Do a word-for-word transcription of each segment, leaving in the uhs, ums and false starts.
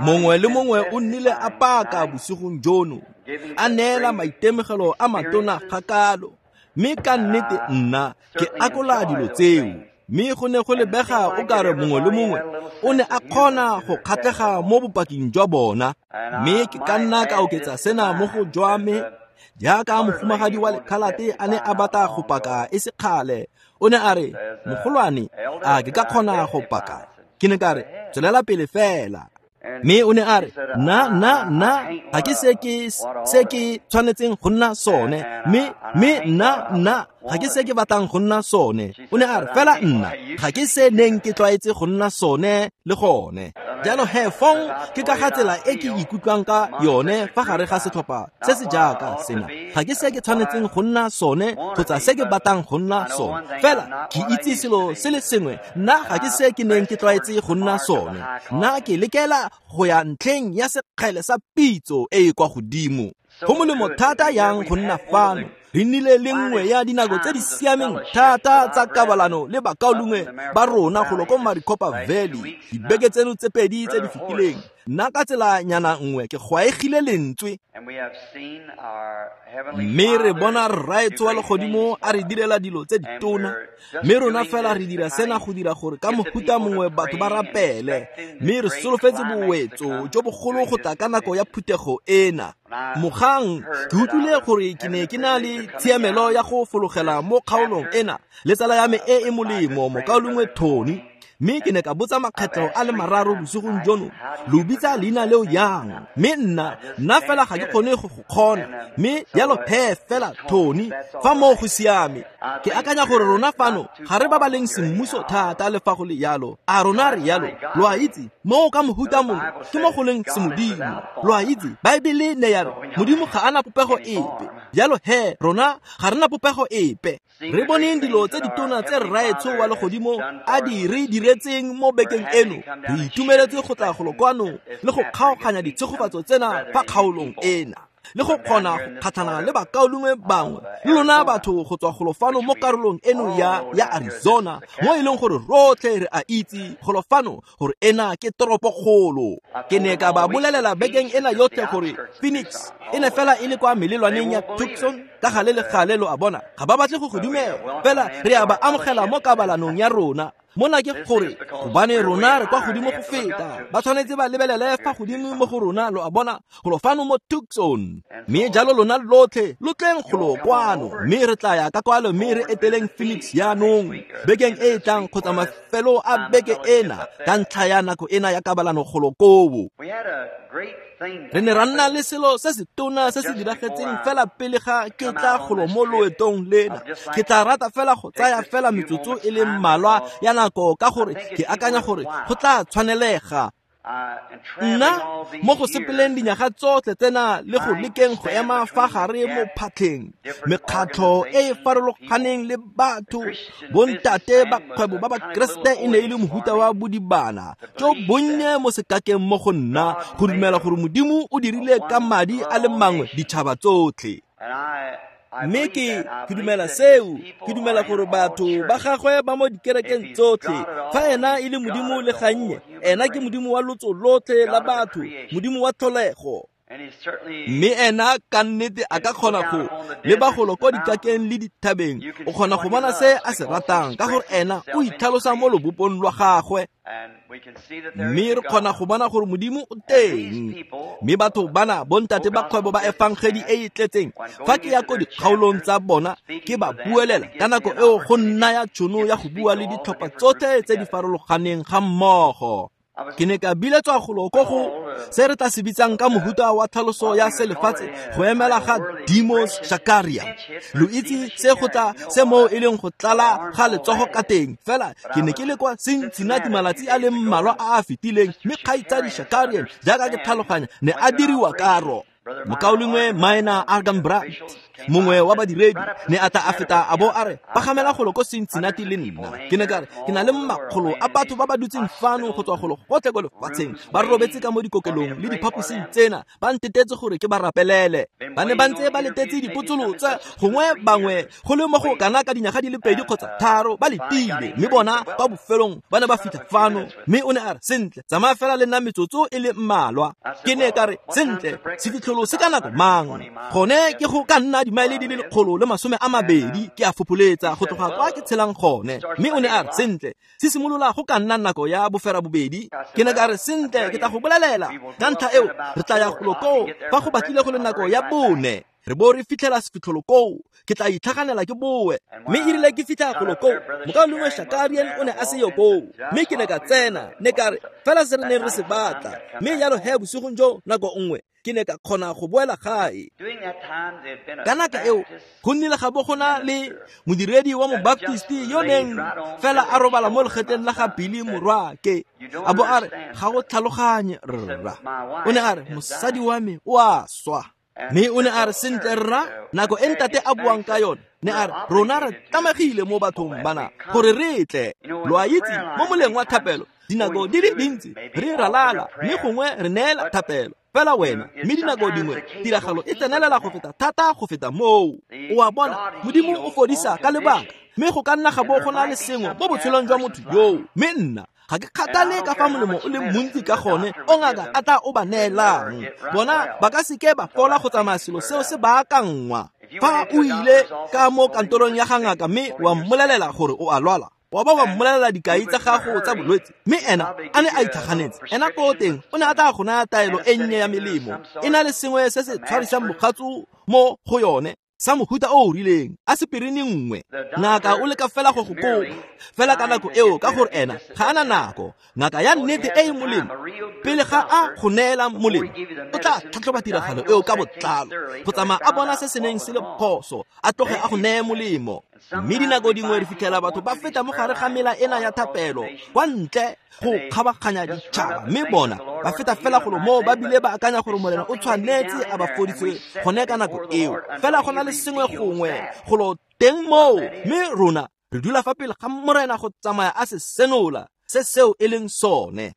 Mongwe le mongwe o nnile a paka bosigong jono, a neela maitemogelo a matona kgakalo, mme ka nnete nna ke akola dilo tseo. Mme go ne go lebega o kare mongwe le mongwe o ne a kgona go kgatlhega mo bopaking jwa bona. Mme ke ka nna ka oketsa sena mo go jwa me, jaaka mohumagadi wa lekhalate a ne a batla go paka e se kgale. O ne a re, mogolwane, a ke ka kgona go paka? Ke ne ka re, tswelela pele fela. Mme o ne a re, nna, nna, nna, ga ke se ke se ke tshwanetseng go nna sone. Mme, mme nna, nna, ga ke se ke batlang go nna sone. O ne a re, fela nna, ga ke se neng ke tlwaetse go nna sone le gone. Jalo he fong ke ka ga tsela e ke ikutlwang ka yone fa gare ga setlhopha se se jaaka sena. Ga ke se ke tshwanetseng go nna sone kgotsa se ke batlang go nna sone. Fela ke itse selo se le sengwe, nna ga ke se ke neng ke tlwaetse go nna sone. Nna ke lekela go ya ntlheng ya sekgele sa pitso e e kwa godimo. Go molemo thata yang go nna fano. Re nnile le nngwe ya dinako tse di siameng thata tsa kabalano le bakaulengwe ba rona golo ko Maricopa Valley dibeke tseno tse pedi tse di fetileng. Nna ka tsela nyana nngwe ke gwaegile lentswe, mme re bona Rraetsho wa legodimo a re direla dilo tse ditona, mme rona fela re dira sena go dira gore ka mohuta mongwe batho ba rapele, mme re solofetse bowetso jo bogolo go tla ka nako ya phuthego ena. Mogang ke utlwile gore ke ne ke na le tshiamelo ya go fologela mo kgaolong ena le tsala ya me e e molemo mokaulengwe Tony, mme ke ne ka botsa makgetlho a le mararo bosigong jono, lo bitsa leina leo yang? Mme nna, nna fela ga ke kgone go go kgona, mme jalo phe fela Tony, fa moo go siame. Ke akanya gore rona fano ga re ba ba leng semmuso thata le fa go le yalo. A rona re yalo, lo a itse, moo ka mohuta mongwe ke mo go leng semodimo. Lo a itse, Baebele ne ya re Modimo ga a na popego epe. Jalo he, rona ga re na popego epe. Re boneng dilo tse ditona tse Rraetsho wa legodimo a di re diretseng mo bekeng eno. Re itumeletse go tla golo kwano le go kgaoganya ditshegofatso tsena fa kgaolong ena, le go kgona go kgatlhana le bakaulengwe bangwe le lona batho go tswa golo fano mo karolong eno ya ya Arizona, mo e leng gore rotlhe re a itse golo fano gore ena ke toropokgolo. Ke ne ka ba bolelela bekeng ena yotlhe gore Phoenix e ne fela e le kwa melelwaneng ya Tucson ka gale le gale, lo a bona, ga ba batle go go dumela, fela re a ba amogela mo kabalanong ya rona. Mona ke gore gobane rona re kwa godimo go feta, ba tshwanetse ba lebelele fa godimo mo go rona, lo a bona, golo fano mo Tucson. Mme jalo lona lotlhe lo tleng golo kwano, mme re tla ya ka kwalo mme re eteleng Phoenix jaanong bekeng e e tlang kgotsa mafelo a beke ena ka ntlha ya nako ena ya kabalano golo koo. Re ne ra nna le selo se se tona se se diragetseng fela pele ga ke tla golo mo loetong lena. Ke tla rata fela go tsaya fela metsotso e le mmalwa ya nako ka gore ke akanya gore go tla tshwanelega. Nna mo go sepeleng dinyaga tsotlhe tsena le go lekeng go ema fa gare mo phatlheng, mekgatlho e e farologaneng le batho, bontate ba kgwebo ba Bakeresete e ne e le mohuta wa bodibana jo bonnye mo sekakeng mo go nna go dumela gore Modimo o dirile ka madi a le mangwe ditšhaba tsotlhe. Mme ke ke dumela seo, ke dumela gore batho ba gagwe ba mo dikerekeng tsotlhe. Fa ena e le Modimo le gannye, ena ke Modimo wa lotso lotlhe la batho, Modimo wa tlholego. Mme ena ka nnete a ka kgona go leba golo ko dikakeng le dithabeng, o kgona go bona se a se ratang ka gore ena o itlhalosa mo lobopong lwa gagwe. Mme re kgona go bona gore Modimo o teng. Mme batho bana bontate ba kgwebo ba efangedi e e tletseng, fa ke ya ko dikgaolong tsa bona ke ba buelela ka nako eo go nna ya tšhono ya go bua le ditlhopha tsotlhe tse di farologaneng ga mmogo. Ke ne ka biletswa golo ko go se re tla se bitsang ka mohuta wa tlhaloso ya selefatshe go emela ga Demos Shakaria. Lo itse se go tla se mo e leng go tlala ga letsogo ka teng. Fela ke ne ke le kwa Cincinnati malatsi a le mmalwa a a fetileng, mme kgaitsadi Shakarian jaaka ke tlhaloganya ne a diriwa karo. Mokaulengwe Minor Argan Brandt Mongwe wa badiredi ne a tla a feta a bo a re pagamela golo ko Cincinnati le nna. Ke ne ka re ke na le makgolo a batho ba ba dutseng fano go tswa golo gotlhe ko lefatsheng, ba robetse ka mo dikokelong le diphaposing tsena, ba ntetetse gore ke ba rapelele. Ba ne ba ntse ba letetse dipotsolotso, gongwe bangwe go le mo go kana ka dinyaga di le pedi kgotsa tharo ba letile, mme bona kwa bofelong ba ne ba fitlha fano. Mme o ne a re sentle, tsamaya fela le nna metsotso e le mmalwa. Ke ne ka re sentle, sefitlholo se ka nako mang? Gone ke go ka nna dimaele di le lekgolo le masome a mabedi ke a fopholetsa go tloga kwa ke tshelang gone. Mme o ne a re sentle, se simolola go ka nna nako ya bofera bobedi. Ke ne ka re sentle, ke tla go bolelela ka ntlha eo re tla ya golo koo fa go batlile go le nako ya bone, re bo re fitlhela sefitlholo koo, ke tla itlhaganela ke boe. Mme e rile ke fitlha golo koo, mokaulengwe Shakarian o ne a se yo koo, mme ke ne ka tsena, ne ka re fela se re neng re se batla. Mme jalo he bosigong jo nako nngwe ke ne ka kgona go boela gae. Ka nako eo go nnile ga bo go na le modiredi wa mobaptisti yo neng fela a robala mo legetleng la ga Billy morwaake, a bo a re ga go tlhaloganye rra. O ne a re mosadi wa me o a swa. Mme o ne a re sentle rra, nako e ntate a buang ka yone, ne a re rona re tlamegile mo bathong bana gore re tle. Lo a itse mo moleng wa thapelo dinako di le dintsi re ralala, mme gongwe re neela thapelo fela wena, mme dinako dingwe tiragalo e tsenelela go feta thata go feta moo. O a bona, Modimo o fodisa ka lebaka, mme go ka nna ga bo go na le sengwe mo botshelong jwa motho yoo. Mme nna ga ke kgathale ka fa molemo o le montsi ka gone o ngaka a tla o ba neelang, bona ba ka seke ba fola go tsamaya selo seo se baakangwa. Fa o ile ka mo kantorong ya ga ngaka mme wa mmolelela gore o a lwala, wa ba wa mmolelela dikai tsa gago tsa bolwetse, mme ena a ne a itlhaganetse, ena ko teng o ne a tla go naya taelo e nnye ya melemo e na le sengwe se se tshwarisang mogatso mo go yone sa mohuta o o rileng, aspirin nngwe. Ngaka o leka fela go go kopa fela ka nako eo, ka gore ena ga ana nako. Ngaka ya nnete e e molemo, pele ga a go neela molemo, o tla tlhatlhoba tiragalo eo ka botlalo go tsamaya a bona se se neng se le phoso, a tloge a go neye molemo. Mme dinako dingwe re fitlhela batho ba feta mo gare ga mela ena ya thapelo kwa ntle go kgabaganya ditšhaba, mme bona ba feta fela golo moo ba bile ba akanya gore Morena o tshwanetse a ba fodise gone ka nako eo. Fela go na le sengwe gongwe golo teng moo, mme rona re dula fa pele ga Morena go tsamaya a se senola se seo e leng sone.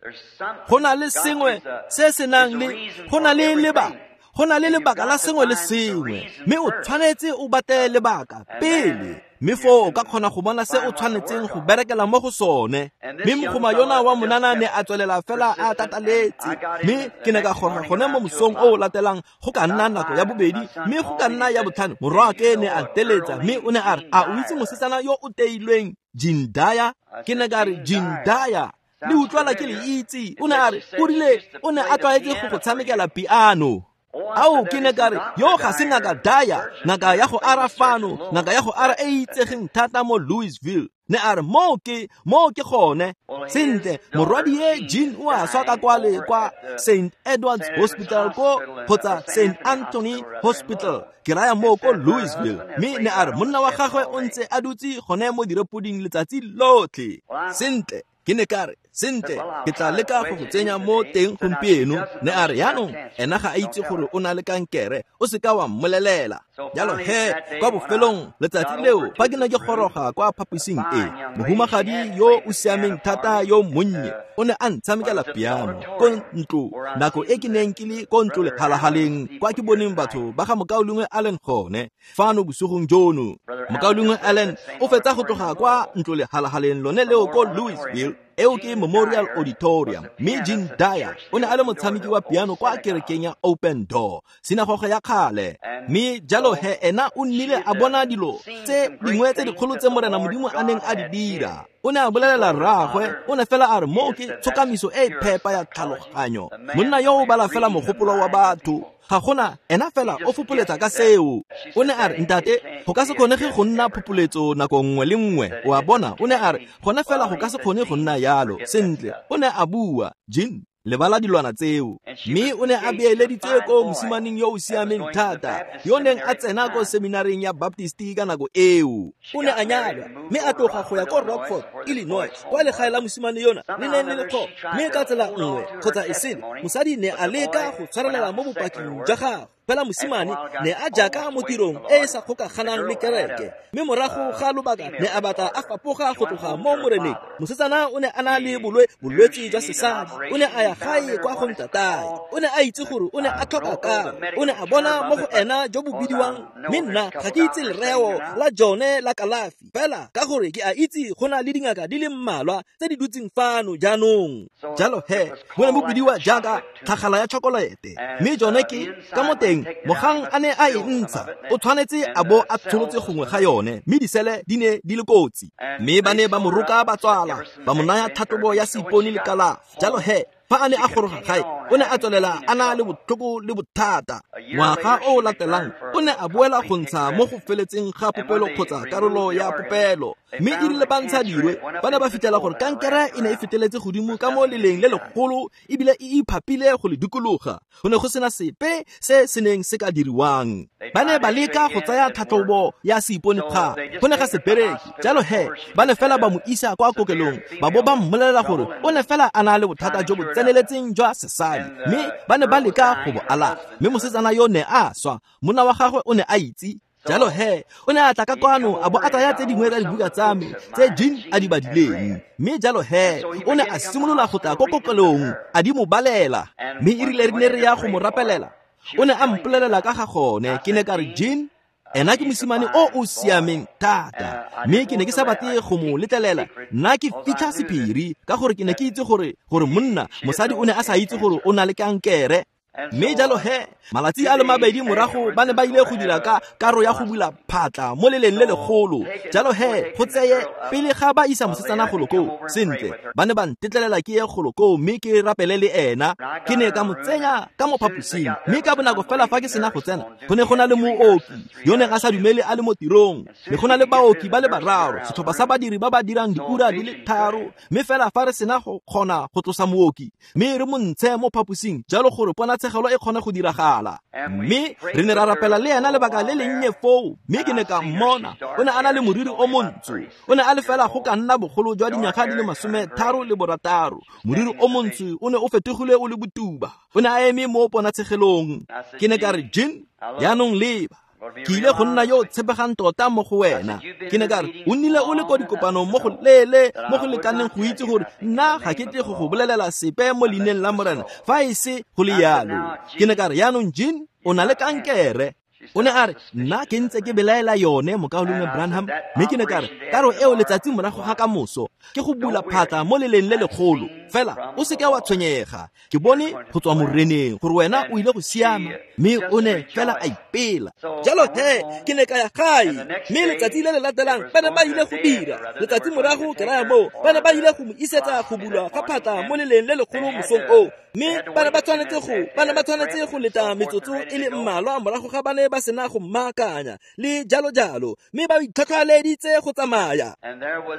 Go na le sengwe se se nang le, go na le lebaka, go na le lebaka la sengwe le sengwe, mme o tshwanetse o batle lebaka pele, mme foo o ka kgona go bona se o tshwanetseng go berekela mo go sone. Mme mogoma yona wa monana ne a tswelela fela a tataletse, mme ke ne ka goroga gone mo mosong o o latelang go ka nna nako ya bobedi, mme go ka nna ya botlhano morwaake ne a nteletsa, mme o ne a re a o itse mosetsana yo o teilweng Jindaya? Ke ne ka re Jindaya le utlwala ke le itse. O ne a re o rile o ne a tlwaetse go go tshamekela piano. Ao, ke ne ka re yo ga se ngaka Daya, ngaka ya go ara fano, ngaka ya go ara e itsegeng thata mo Louisville. Ne a re moo ke, moo ke gone. Sentle, morwadie Jean o a swa ka kwale kwa Saint Edward's Hospital ko kgotsa Saint Anthony Hospital, ke raya moo ko Louisville. Mme ne a re monna wa gagwe o ntse a dutse gone mo direpoding letsatsi lotlhe. Sentle, ke ne ka re sentle, ke tla leka go go tsenya mo teng gompieno. Ne a re yaanong ena ga a itse gore o na le kankere, o seka wa mmolelela. Jalo he kwa bofelong letsatsi leo fa ke ne ke goroga kwa phaposing e, mohumagadi yo o siameng thata yo monnye o ne a ntshamekela piano ko ntlo nako e ke neng ke le ko ntlo lephalahaleng kwa ke boneng batho ba ga mokaulengwe Allen gone fano bosigong jono. Mokaulengwe Allen o fetsa go tloga kwa ntlo lehalahaleng lone leo ko Louisville, eo ke Memorial Auditorium. Mme Jean Dyer o ne a le motshameki wa piano kwa kerekeng ya Open Door, sinagoge ya kgale. Mme jalo he ena o nnile a bona dilo tse dingwe tse dikgolo tse Morena Modimo a neng a di dira. O ne a bolelela rraagwe, o ne fela a re moo ke tshokamiso e phepa ya tlhaloganyo. Monna yo o bala fela mogopolo wa batho, ga gona ena fela o fopoletsa ka seo. O ne a re ntate, go ka se kgonege go nna phopoletso nako nngwe le nngwe. O a bona, o ne a re gone fela go ka se kgone go nna yalo. Sentle, o ne a bua, Jean, lebala dilwana tseo. Mme o ne a beeleditse ko mosimaneng yo o siameng thata, yo neng a tsena ko seminareng ya Baptist ka nako eo. O ne a nyalwa mme a tloga go ya ko Rockford, Illinois, kwa legae la mosimane yona le neng le le tlhogo. Mme ka tsela nngwe kgotsa e sele, mosadi ne a leka go tshwarelela mo bopaking jwa gagwe. Fela mosimane ne a jaaka mo tirong e e sa kgokaganang le kereke, mme morago ga lobaka ne a batla a fapoga go tloga mo moreneng. Mosetsana o ne a na le bolwe bolwetse jwa sesadi, o ne a ya gae kwa go ntatae. O ne a itse gore o ne a tlhoka karo, o ne a bona mo go ena jo bo bidiwang, mme nna ga ke itse lereo la jone la kalafi, fela ka gore ke a itse go na le dingaka di le mmalwa tse di dutseng fano jaanong. Jalo he bo ne bo bidiwa jaaka tlhagala ya chokolete, mme jone ke ka mo teng mogang a ne a e ntsha o tshwanetse a bo a tsholotse gongwe ga yone, mme disele di ne di le kotsi. Mme ba ne ba mo roka ba tswala, ba mo naya tlhatlhobo ya seipone le kalafi. Jalo he fa a ne a goroga gae o ne a tswelela a na le botlhoko le bothata. Ngwaga o o latelang o ne a boela go ntsha mo go feletseng ga popelo kgotsa karolo ya popelo, mme e rile ba ntsha dirwe ba ne ba fitlhela gore kankere e ne e feteletse godimo ka mo leleng le legolo ebile e iphapile go le dikologa. Go ne go sena sepe se se neng se ka diriwang. Ba ne ba leka go tsaya tlhatlhobo ya seipone kga, go ne ga se bereke. Jalo he ba ne fela ba mo isa kwa kokelong, ba bo ba mmolelela gore o ne fela a na le bothata jo bo tseneletseng jwa sesadi, mme ba ne ba leka go bo alafa. Mme mosetsana yo ne a swa, monna wa gagwe o ne a itse. Jalo he o ne a tla ka kwano a bo a tsaya tse dingwe tsa dibuka tsa me tse Jean a di badileng, mme jalo he o ne a simolola go tla ko kokelong a di mo balela. Mme e rile re ne re ya go mo rapelela, o ne a mpolelela ka ga gone. Ke ne ka re, Jean, ena ke mosimane o o siameng thata, mme ke ne ke sa batle go mo letlelela nna ke fitlha sephiri, ka gore ke ne ke itse gore gore monna mosadi o ne a sa itse gore o na le kankere. Mme jalo he malatsi a le mabedi morago ba ne ba ile go dira ka karo ya go bula phatla mo leleng le legolo. Jalo he go tseye pele ga ba isa mosetsana golo koo, sentle ba ne ba ntetlelela ke ye golo koo mme ke rapele le ena. Ke ne ka mo tsenya ka mo phaposing, mme ka bonako fela fa ke sena go tsena go ne go na le mooki yo neng a sa dumele a le mo tirong, ne go na le baoki ba le bararo, setlhopha sa badiri ba ba dirang diura di le tharo. Mme fela fa re sena go kgona go tlosa mooki mme re mo ntshe mo phaposing jalo gore pona tshegelo e kgone go diragala, mme re ne ra rapela le ena lebaka le lennye foo. Mme ke ne ka mmona o ne a na le moriri o montsho, o ne a le fela go ka nna bogolo jwa dinyaga di le masome tharo le borataro. Moriri o montsho o ne o fetogile o le botuba, o ne a eme mo ponatshegelong. Ke ne ka re, Jean, jaanong leba, ke ile go nna yo o tshepegang tota mo go wena. Ke ne ka re, o nnile o le ko dikopanong mo go leele mo go lekaneng go itse gore nna ga ke tle go go bolelela sepe mo leineng la Morena fa e se go le yalo. Ke ne ka re, jaanong Jean, o na le kankere. O ne a re, nna ke ntse ke belaela yone, mokaulengwe Branham. Mme ke ne ka re, karo eo letsatsi morago ga kamoso ke go bula phatla mo leleng le legolo, fela o seke wa tshwenyega, ke bone go tswa moreneng gore wena o ile go siama. Mme o ne fela a ipela. Jalo he ke ne ka ya gae, mme letsatsi le le latelang ba ne ba ile go dira letsatsi morago ke raya moo ba ne ba ile go mo isetsa go bulwa ga phatla mo leleng le legolo mosong oo, mme ba ne ba tshwanetse go ba ne ba tshwanetse go leta metsotso e le mmalwa morago ga ba ne ba sena go mmaakanya le jalo jalo, mme ba itlhotlheleditse go tsamaya.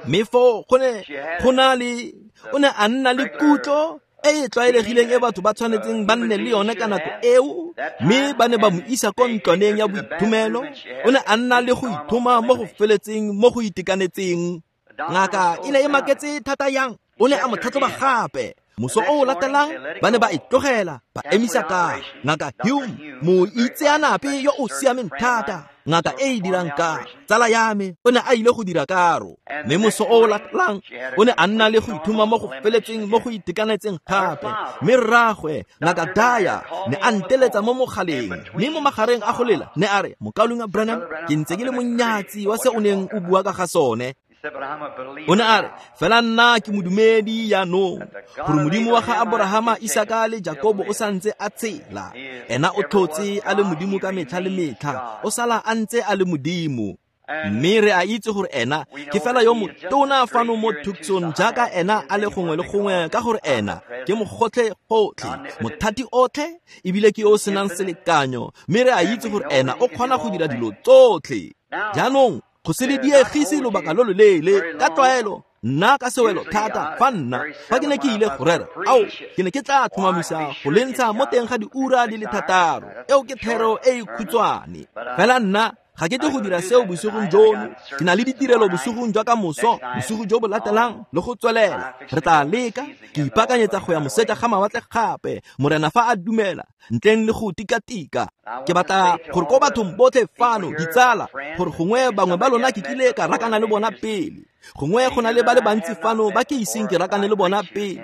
Mme foo go ne go na le o ne a nna le kutlo e e tlwaelegileng e batho ba tshwanetseng ba nne le yone ka nako eo, mme ba ne ba mo isa ko ntlwaneng ya boithomelo. O ne a nna le go ithoma mo go feletseng mo go itekanetseng. Ngaka e ne e maketse thata yang, o ne a mo tlhatlhoba gape. Moso o o latelang ba ne ba e tlogela ba emisa ka ngaka Hume, moitseanape yo o siameng thata, ngaka e e dirang ka tsala ya me, o ne a ile go dira karo. Mme moso o o latelang o ne a nna le go ithoma mo go feletseng mo go itekanetseng gape. Mme rraagwe ngaka Daya ne a nteletsa mo mogaleng, mme mo magareng a go lela ne a re, mokaulengwe Branham, ke ntse ke le monyatsi wa se o neng o bua ka ga sone. O ne a re, fela nna ke modumedi jaanong gore Modimo wa ga Aborahama, Isaka le Jakobo o santse a tshela. Ena o tlhotse a le Modimo ka metlha le metlha, o sala a ntse a le Modimo. Mme re a itse gore ena ke fela yo motona fano mo Tucson jaaka ena a le gongwe le gongwe, ka gore ena ke mogotlhe gotlhe, mothati otlhe, ebile ke yo o senang selekanyo. Mme re a itse gore ena o kgona go dira dilo tsotlhe. Jaanong go se le diegise lobaka lo loleele ka tlwaelo, nna ka sewelo thata fa nna fa ke ne ke ile go rera, ao ke ne ke tla tlhomamisa go le ntsha mo teng ga diura di le thataro. Eo ke thero e e khutshwane. Fela nna Ga ke tle go dira seo bosigong jono. Ke na le ditirelo bosigong jwa ka moso, bosigo jo bo latelang le go tswelela. Re tla leka, ke ipaakanyetsa go ya moseja ga mawatle gape, Morena fa a dumela, ntleng le go tikatika. Ke batla gore ko bathong botlhe fano, ditsala, gore gongwe bangwe ba lona ke kile ka rakana le bona pele. Gongwe go na le ba le bantsi fano ba ke iseng ke rakane le bona pele.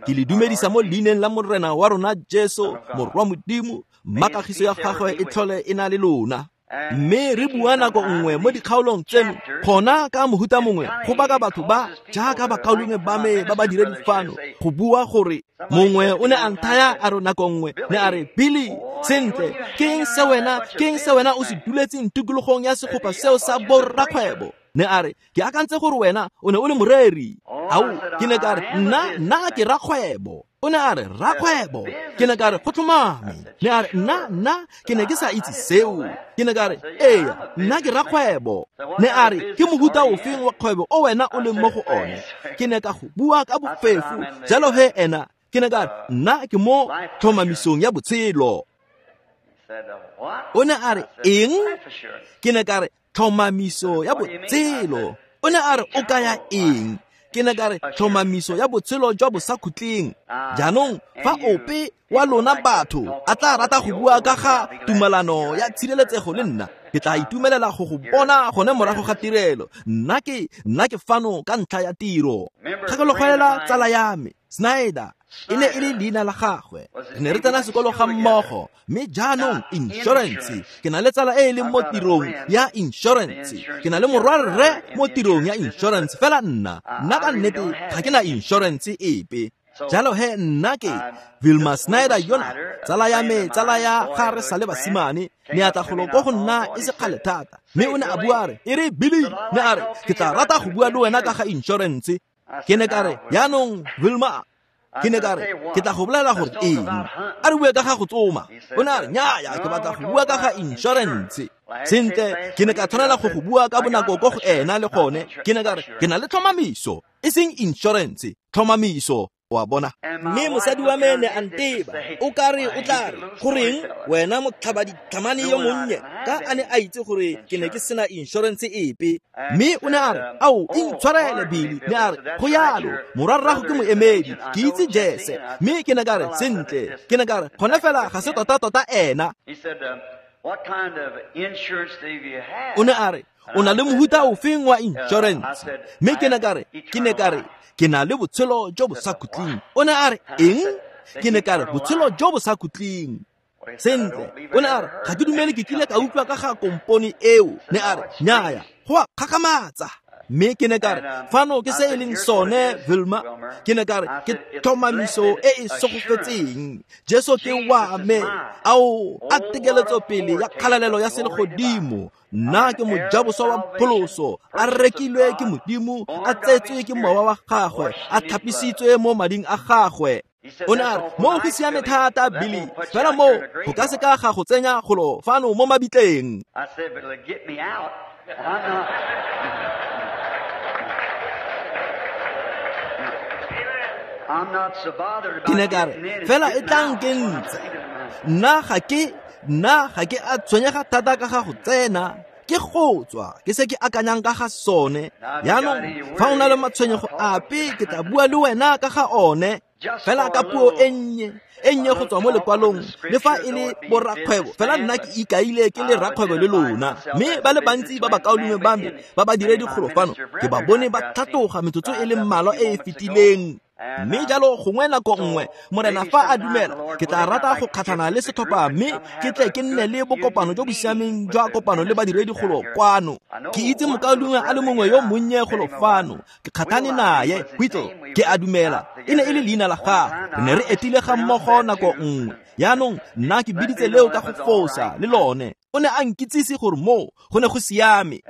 Ke le dumedisa mo leineng la Morena wa rona Jesu, Morwa Modimo, makagiso ya gagwe e tlhole e na le lona. Mme re bua nako nngwe mo dikgaolong tseno, gona ka mohuta mongwe go baka batho ba jaaka bakaulengwe ba me ba ba diredi fano go bua gore mongwe o ne a nthaya a re nako nngwe ne a re, Billy, sentle, ke eng se wena, ke eng se wena o se duletseng tikologong ya segopa seo sa borrakgwebo? Ne a re, ke akantse gore wena o ne o le moreri. Ao, ke ne ka re, nna nna ke rakgwebo. O ne a re, rakgwebo. Ke ne ka re, go tlhomame. Ne a re, nna nna ke ne ke sa itse seo. Ke ne ka re, ee, nna ke rakgwebo. Ne a re, ke mohuta ofeng wa kgwebo o wena o leng mo go one? Ke ne ka go bua ka bofefo. Jalo he ena, ke ne ka re, nna ke mo tlhomamisong ya botshelo. O ne a re, eng? Ke ne ka re, tlhomamiso ya botshelo. O ne a re, o kaya eng? Ke ne ka re, tlhomamiso ya botshelo jwa bosakhutleng. Jaanong fa ope wa lona batho a tla rata go bua ka ga tumalano ya tshireletsego le nna, ke tla itumelela go go bona gone morago ga tirelo. Nna ke nna ke fano ka ntlha ya tiro. Gakologelwa tsala ya me Snyder, e ne e le leina la gagwe. Re ne re tsena sekolo ga mmogo, mme jaanong insurance. Ke na le tsala e e leng mo tirong ya insurance. Ke na le morwarre mo tirong ya insurance. Fela nna, nna ka nnete ga ke na insurance epe. Jalo he nna ke Vilma Snyder yona, tsala ya me, tsala ya ga re sa le basimane, ne a tla golo ko go nna e se kgale thata. Mme o ne a bua a re, e re Billy, ne a re, ke tla rata go bua le wena ka ga insurance. Ke ne ka re, jaanong Vilma, ke ne ka re, ke tla go bolela gore eng? A re bue ka ga go tsoma. O ne a re, nnyaya, ke batla go bua ka ga insurance. Sentle, ke ne ka tshwanela go go bua ka bonako ko go ena le gone. Ke ne ka re, ke na le tlhomamiso, e seng insurance, tlhomamiso. Wa bona. Mme mosadi wa me ne a nteba, o ka re o tla re, goreng wena motlhaba ditlhamane yo monnye, ka a ne a itse gore ke ne ke sena insurance epe. Mme o ne a re, ao, intshwarele Billy. Ne a re, go yalo, morwarrago ke moemedi, ke itse Jese. Mme ke ne ka re, sentle, ke ne ka re, gone fela ga se tota-tota ena. O ne a re, o na le mohuta ofeng wa insurance? Mme ke ne ka re, ke ne ka re, ke na le botshelo jo bo sa khutleng. O ne a re, eng? Ke ne ka re, botshelo jo bo sa khutleng. Sentle, o ne a re, ga ke dumele ke kile ka utlwa ka ga kompone eo. Ne a re, nnyaya, go a kgakgamatsa. Mme ke ne ka re, fano ke se e leng sone Vilma. Ke ne ka re, ke tlhomamiso e e segofetseng. Jesu ke wa me, ao a tekeletso pele ya kgalalelo ya selegodimo. Nna ke mojaboswa wa pholoso, a rekilwe ke Modimo, a tsetswe ke mowa wa gagwe, a tlhapisitswe mo mading a gagwe. O ne a re, mo go siame thata Billy, fela mo go ka se ka ga go tsenya golo fano mo mabitleng. Ke ne ka re, fela e tla nkentse. Nna ga ke nna ga ke a tshwenyega thata ka ga go tsena, ke go tswa, ke se ke akanyang ka ga sone. Jaanong fa o na le matshwenyego ape, ke tla bua le wena ka ga one. Fela ka puo e nnye, e nnye go tswa mo lekwalong, le fa e le borrakgwebo, fela nna ke ikaile ke le rakgwebo le lona. Mme ba le bantsi ba bakaulengwe ba me ba ba diredi kgolo fano, ke ba bone ba tlhatloga metsotso e le mmalwa e e fetileng. Mme jalo gongwe nako nngwe, Morena fa a dumela, ke tla rata go kgatlhana le setlhopha mme ke tle ke nne le bokopano jo bo siameng jwa kopano le badiredi golo kwano. Ke itse mokaulengwe a le mongwe yo monnye golo fano, ke kgatlhane naye, Whittle, ke a dumela, e ne e le leina la gagwe. Re ne re etile ga mmogo nako nngwe. Jaanong nna ke biditse leo ka go fosa le lone. O ne a nkitsise gore moo go ne go siame.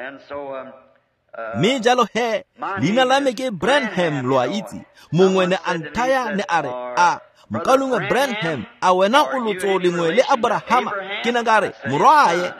Mme jalo he, leina la me ke Branham, lo a itse. Mongwe ne a nthaya ne a re, a mokaulengwe Branham, a wena o lotso lengwe le Abrahama? Ke ne ka re, morwae.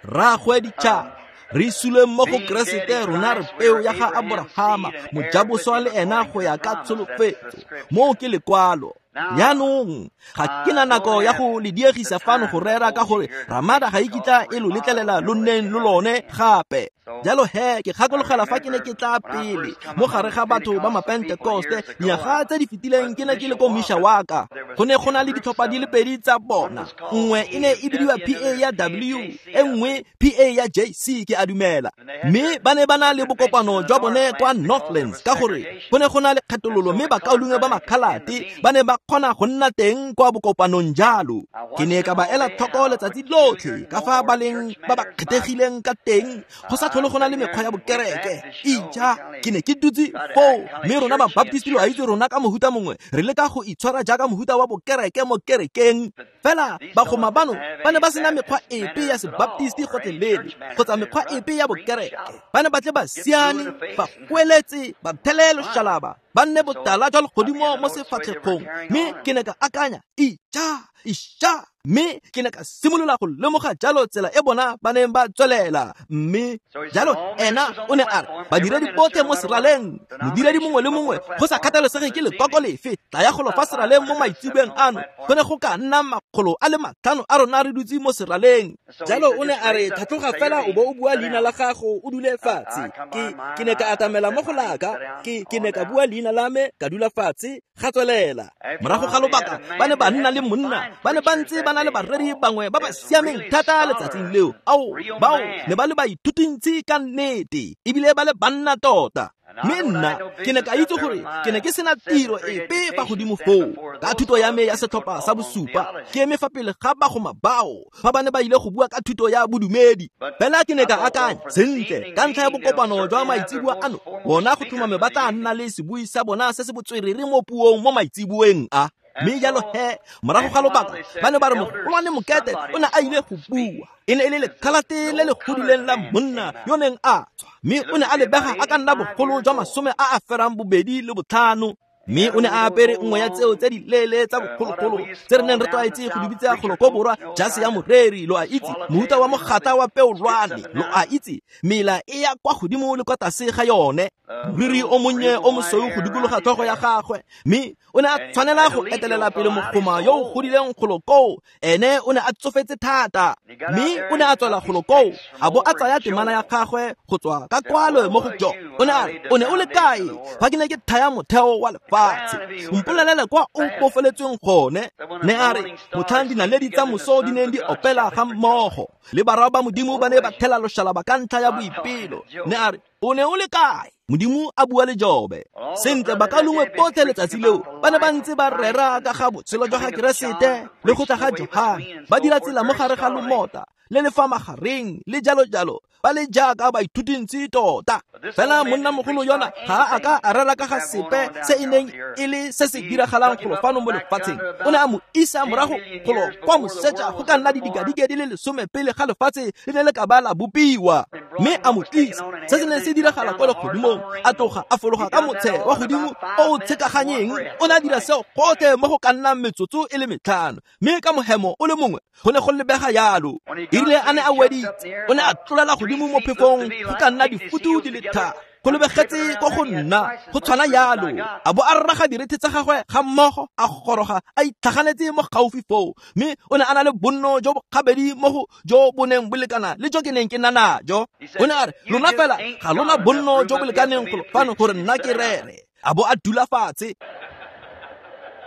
Rraagwe ditšhaba, re sule mo go Keresete, rona re peo ya ga Abrahama, mojaboswa le ena go ya ka tsholofetso. Moo ke lekwalo. Jaanong ga ke na nako ya go le diegisa fano go rera ka gore Ramada ga e kitla e lo letlelela lo nneng lo lone gape. Jalo he ke gakologela fa ke ne ke tla pele mo gare ga batho ba Mapentekoste dinyaga tse di fetileng ke ne ke le ko Mishawaka. Go ne go na le ditlhopha di le pedi tsa bona, nngwe e ne e bidiwa P A ya W, e nngwe P A ya J C ke a dumela. Mme ba ne ba na le bokopano jwa bone kwa Northlands ka gore go ne go na le kgethololo mme bakaulengwe ba makhalate ba ne ba kgona go nna teng kwa bokopanong jalo. Ke ne ka ba ela tlhoko letsatsi lotlhe ka fa ba leng ba ba kgethegileng ka teng, go sa tlhole go na le mekgwa ya bokereke. Ija, ke ne ke dutse foo, mme rona ba Baptist lo a itse rona ka mohuta mongwe re leka go itshwara jaaka mohuta wa bokereke mo kerekeng. Fela bagoma bano ba ne ba sena mekgwa epe ya sebaptisti gotlhelele kgotsa mekgwa epe ya bokereke. Ba ne ba tle ba siane, ba kweletse, ba thele loshalaba, ba nne botala jwa legodimo mo sefatlhegong. Mme ke ne ka akanya, ija, isha, mme ke ne ka simolola go lemoga jalo tsela e bona ba neng ba tswelela. Mme jalo ena o ne a re badiredi botlhe mo seraleng, modiredi mongwe le mongwe go sa kgathalesege ke lekoko lefe, tlaya golo fa seraleng mo maitseboeng ano. Go ne go ka nna makgolo a le matlhano a rona re dutse mo seraleng. Jalo o ne a re tlhatloga fela o bo o bua leina la gago o dule fatshe. Ke ke ne ka atamela mo go laka, ke ke ne ka bua leina la me ka dula fatshe, ga tswelela. Morago ga lobaka ba ne ba nna le monna, ba ne ba ntse ba na le bareri bangwe ba ba siameng thata letsatsing leo. Ao, bao ne ba le baithutintsi ka nnete ebile ba le banna tota. Mme nna ke ne ka itse gore ke ne ke sena tiro epe fa godimo foo ka thuto ya me ya setlhopha sa bosupa, ke eme fa pele ga bagoma bao fa ba ne ba ile go bua ka thuto ya bodumedi. Fela ke ne ka akanya sentle ka ntlha ya bokopano jwa maitseboa ano, bona go tlhomame ba tla nna le sebui sa bona se se botswerere mo puong mo maitseboeng a. Mme jalo he morago ga lobaka ba ne ba re mogolwane Mokete o ne a ile go bua. E ne e le lekhalate le le godileng la monna yo neng a tswa, mme o ne a lebega a ka nna bogolo jwa masome a a ferang bobedi le botlhano. Mme o ne a apere nngwe ya tseo tse di leele tsa bogologolo tse re neng re tlwaetse go di bitsa golo ko borwa jase ya moreri, lo a itse, mohuta wa mogata wa peolwane, lo a itse, mela e ya kwa godimo le kwa tlase ga yone, moriri o monnye o mosweu go dikologa tlhogo ya gagwe. Mme o ne a tshwanela go etelela pele mogoma yo o godileng golo koo, ene o ne a tsofetse thata. Mme o ne a tswela golo koo a bo a tsaya temana ya gagwe go tswa ka kwalo mo go Jo. O ne a re, o ne o le kae fa ke ne ke thaya motheo wa lefatshe? Mpolelele kwa o bofeletsweng gone. Ne a re motlhang dinaledi tsa moso di neng di opela ga mmogo le barwa ba Modimo ba ne ba thela loshalaba ka ntlha ya boipelo. Ne a re o ne o le kae? Modimo a bua le Jobe. Sentle bakalongwe botlhe letsatsi leo ba ne ba ntse ba rera ka ga botshelo jwa ga Keresete le go tla ga Johane, ba dira tsela mo gare ga lomota le le fa magareng le jalo jalo, ba le jaaka baithutintsi tota. Fela monnamogolo yona ga a ka a rera ka ga sepe se e neng e le se se diragalang golo fano mo lefatsheng. O ne a mo isa morago golo kwa moseja go ka nna didikadike di le lesome pele ga lefatshe le ne le ka ba la bopiwa, mme a mo tlisa se se neng se diragala kwa legodimong. A tloga a fologa ka motshe wa godimo o o tshekaganyeng. O ne a dira seo gotlhe mo go ka nnang metsotso e le metlhano, mme ka mohemo o le mongwe go ne go lebega jalo. Erile a ne a weditse, o ne a tlolela godimo mo phefong go ka nna difutu di le tharo, go lebegetse ko go nna go tshwana jalo. A bo a raga direthe tsa gagwe ga mmogo, a goroga a itlhaganetse mo gaufi foo, mme o ne a na le bonno jo bo gabedi mo go jo bo neng bo lekana le jo ke neng ke na najo. O ne a re, lona fela ga lona bonno jo bo lekaneng golo fano gore nna ke rere. A bo a dula fatshe.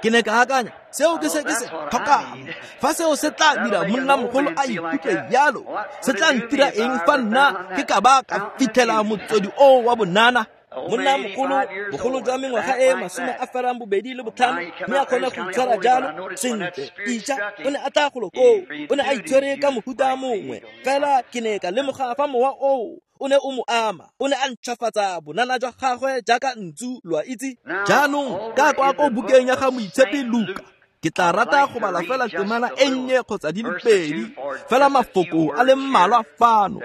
Ke ne ka akanya, seo ke se ke se tlhokang. Fa seo se tla dira monnamogolo a ikutlwe jalo, se tla ntira eng fa nna ke ka ba ka fitlhela motswedi oo wa bonana? Monnamogolo bogolo jwa mengwaga e masome a ferang bobedi le botlhano, mme a kgone go itshwara jalo sentle. Ija, o ne a tla golo koo, o ne a itshwere ka mohuta mongwe. Fela ke ne ka lemoga fa mowa oo o ne o mo ama, o ne a ntšhwafatsa bonana jwa gagwe jaaka ntsu, lo a itse. Jaanong ka kwa ko bukeng ya ga Moitshepi Luka, ke tla rata go bala fela temana e nnye kgotsa di le pedi, fela mafoko a le mmalwa fano,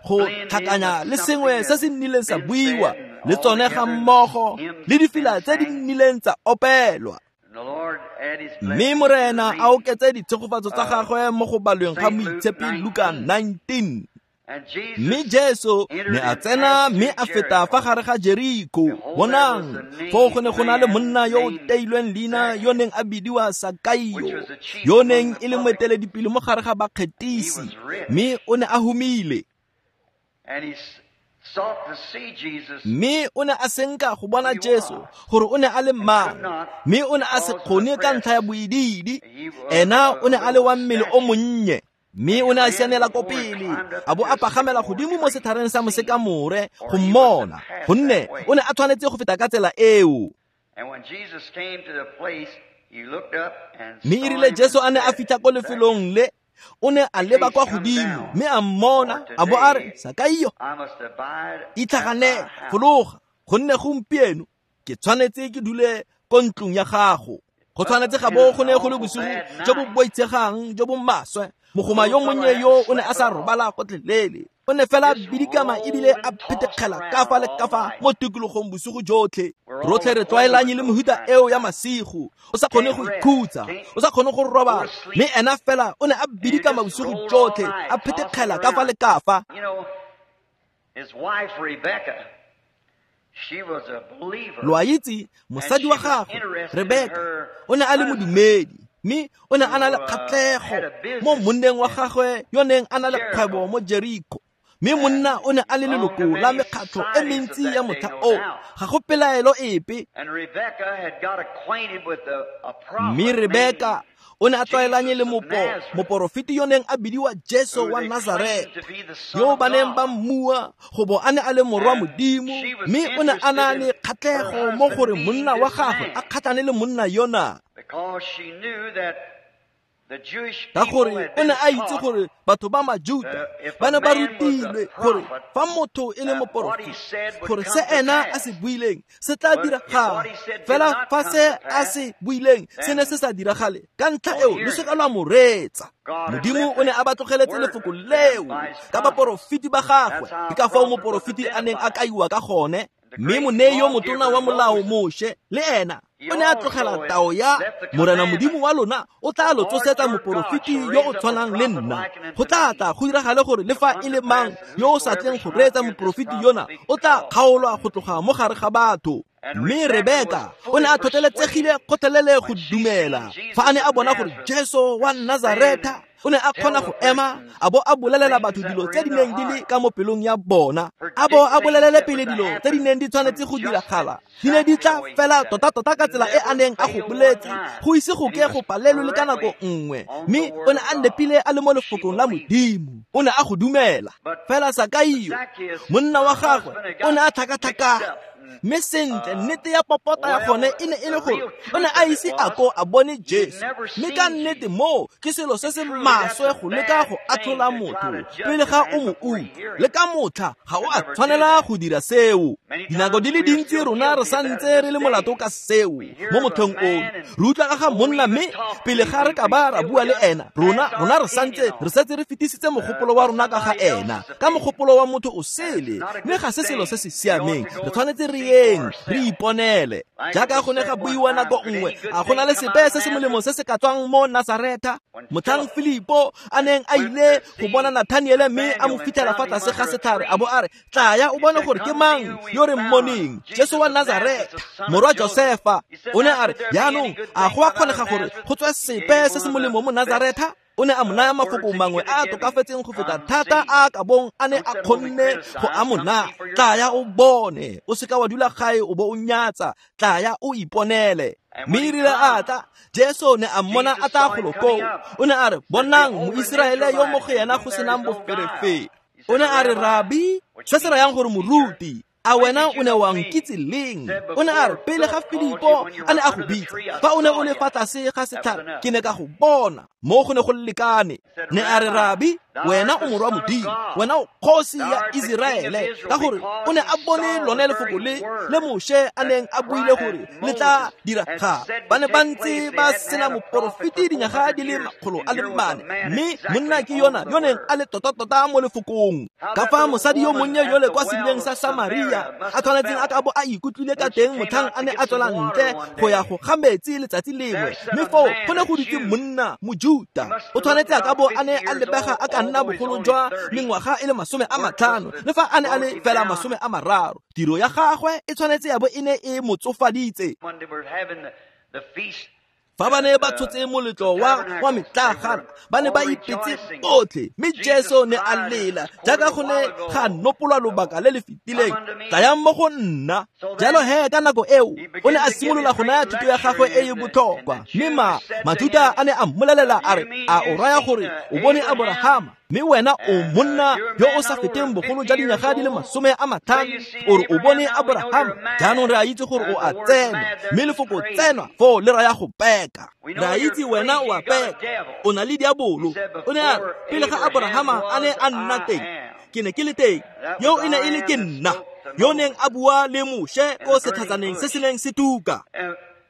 go tlhakanya le sengwe se se nnileng sa buiwa le tsone ga mmogo le difela tse di nnileng tsa opelwa. Mme Morena a oketse ditshegofatso tsa gagwe mo go balweng ga Moitshepi Luka nineteen. Mme Jesu ne a tsena mme a feta fa gare ga Jeriko. Bonang, foo go ne go na le monna yo o teilweng leina yo neng a bidiwa Sakaio, yo neng e le moeteledipele mo gare ga bakgethisi, mme o ne a humile. Mme o ne a senka go bona Jesu gore o ne a le mang, mme o ne a se kgone ka ntlha ya boidiidi. Ena o ne a le wa mmele o monnye. Mme o ne a sianela ko pele, a bo a pagamela godimo mo setlhareng sa mosekamore go mmona, gonne o ne a tshwanetse go feta ka tsela eo. Mme e rile Jesu a ne a fitlha ko lefelong le, o ne a leba kwa godimo mme a mmona, a bo a re, Sakaio, itlhaganele, fologa, gonne gompieno ke tshwanetse ke dule ko ntlong ya gago. Go tshwanetse ga bo go ne go le bosigo jo bo boitshegang jo bo maswe. Mogoma yo monnye yo o ne a sa robala gotlhelele. O ne fela bidikama ebile a phetekgela ka fa le ka fa mo tikologong bosigo jotlhe. Rotlhe re tlwaelanye le mehuta eo ya masigo. O sa kgone go ikhutsa, o sa kgone go robala. Mme ena fela o ne a bidikama bosigo jotlhe, a phetekgela ka fa le ka fa. Lo a itse, mosadi wa gagwe, Rebeka, o ne a le modumedi, mme o ne a na le kgatlhego mo monneng wa gagwe yo neng a na le kgwebo mo Jeriko. Mme monna o ne a le leloko la mekgatlho e mentsi ya motlha oo, ga go pelaelo epe. Mme Rebeka o ne a tlwaelanye le mopo, moporofeti yo neng a bidiwa Jesu wa Nazareta, yo ba neng ba mmua go bo a ne a le morwa Modimo, mme o ne a na le kgatlhego mo gore monna wa gagwe a kgatlhane le monna yona. Ka gore o ne a itse gore batho ba Majuta ba ne ba rutilwe gore fa motho e le moporofeti, gore se ena a se buileng se tla diragala. Fela fa se a se buileng se ne se sa diragale, ka ntlha eo lo seka lwa mo reetsa. Modimo o ne a ba tlogeletse lefoko leo ka baporofeti ba gagwe. Ke ka fao moporofeti a neng a kaiwa ka gone. Mme monei yo motona wa molao Moshe le ena o ne a tlogela tao ya Morena Modimo wa lona o tla lo tsosetsa moporofeti yo o tshwanang le nna. Go tla tla go diragale gore le fa e le mang yo o sa tleng go reetsa moporofeti yona o tla kgaolwa go tloga mo gare ga batho. Mme Rebeka o ne a tlhotlheletsegile kgotlhelele go dumela fa a ne a bona gore Jesu wa Nazareta o ne a kgona go ema a bo a bolelela batho dilo tse di neng di le ka mo pelong ya bona, a bo a bolelele pele dilo tse di neng di tshwanetse go diragala. Di ne di tla fela tota-tota ka tsela e a neng a go boletse, go ise go ke go palelwe le ka nako nngwe. Mme o ne a nepile a le mo lefokong la Modimo, o ne a go dumela. Fela Sakaio, monna wa gagwe, o ne a tlhakatlhakana. Mme sentle, nnete ya popota ya gone e ne e le gore o ne a ise a ko a bone Jesu. Mme ka nnete moo ke selo se se maswe go leka go atlhola motho pele ga o mo utlwa. Le ka motlha ga o a tshwanela go dira seo. Dinako di le dintsi rona re santse re le molato ka seo mo mothong ono. Re utlwa ka ga monna, mme pele ga re ka ba ra bua le ena, rona rona re santse re setse re fetisitse mogopolo wa rona ka ga ena, ka mogopolo wa motho o sele. Mme ga se selo se se siameng. Re tshwanetse re yeng re iponele. Jaaka go ne ga buiwa nako nngwe, a go na le sepe se se molemo se se ka tswang mo Nazareta? Motlhang Filipo a neng a ile go bona Nathaniele mme a mo fitlhela fa tlase ga setlhare, a bo a re, tlaya o bone gore ke mang yo re mmoneng, Jesu wa Nazareta, morwa Josefa. O ne a re, jaanong a go a kgonega gore go tswe sepe se se molemo mo Nazareta? O ne a mo naya mafoko mangwe a a tokafetseng go feta thata a ka bong a ne a kgonne go a mo naya. Tlaya o bone, o seka wa dula gae o bo o nyatsa, tlaya o iponele. Mme e rile a tla, Jesu ne a mmona a tla golo koo. O ne a re, bonang Moiseraele yo mo go yena go senang boferefere. O ne a re, Rabi, se se rayang gore moruti, a wena o ne wa nkitse leng? O ne a re, pele ga Filipo a ne a go bitsa, fa o ne o le fa tlase ga setlhare, ke ne ka go bona. Mo go ne go lekane. Ne a re, Rabi, wena o morwa Modimo, wena o kgosi ya Iseraele. Ka gore o ne a bone lone lefoko le le Moshe a neng a buile gore le tla diragala. Ba ne ba ntse ba sena moporofeti dinyaga di le makgolo a le mane, mme monna ke yona yo neng a le tota-tota mo lefokong. Ka fa mosadi yo monnye yole kwa sedibeng sa Samaria a tshwanetseng a ka bo a ikutlwile ka teng motlhang a ne a tswela ntle go ya go ga metsi letsatsi lengwe, mme foo go ne go dutse monna Mojuta. O tshwanetse a ka bo a ne a lebega a ka a nna bogolo jwa mengwaga e le masome a matlhano le fa a ne a le fela masome a mararo. Tiro ya gagwe e tshwanetse ya bo e ne e mo tsofaditse. Fa ba ne ba tshotse moletlo wa wa metlagana, ba ne ba ipetse botlhe, mme Jesu ne a lela jaaka go ne ga nopolwa lobaka le le fetileng, tlayang mo go nna. Jalo he ka nako eo o ne a simolola go naya thuto ya gagwe e e botlhokwa, mme ma Majuda a ne a mmolelela a re, a o raya gore o bone Aborahama, mme wena o monna yo o sa feteng bogolo jwa dinyaga di le masome a matlhano, o re o bone Aborahama? Jaanong re a itse gore o a tsenwa, mme lefoko tsenwa foo le raya go peka. Re a itse wena o a peka, o na le diabolo. O ne a re, pele ga Aborahama a ne a nna teng, ke ne ke le teng. Yo e ne e le ke nna yo neng a bua le Moshe ko setlhatsaneng se se neng se tuka.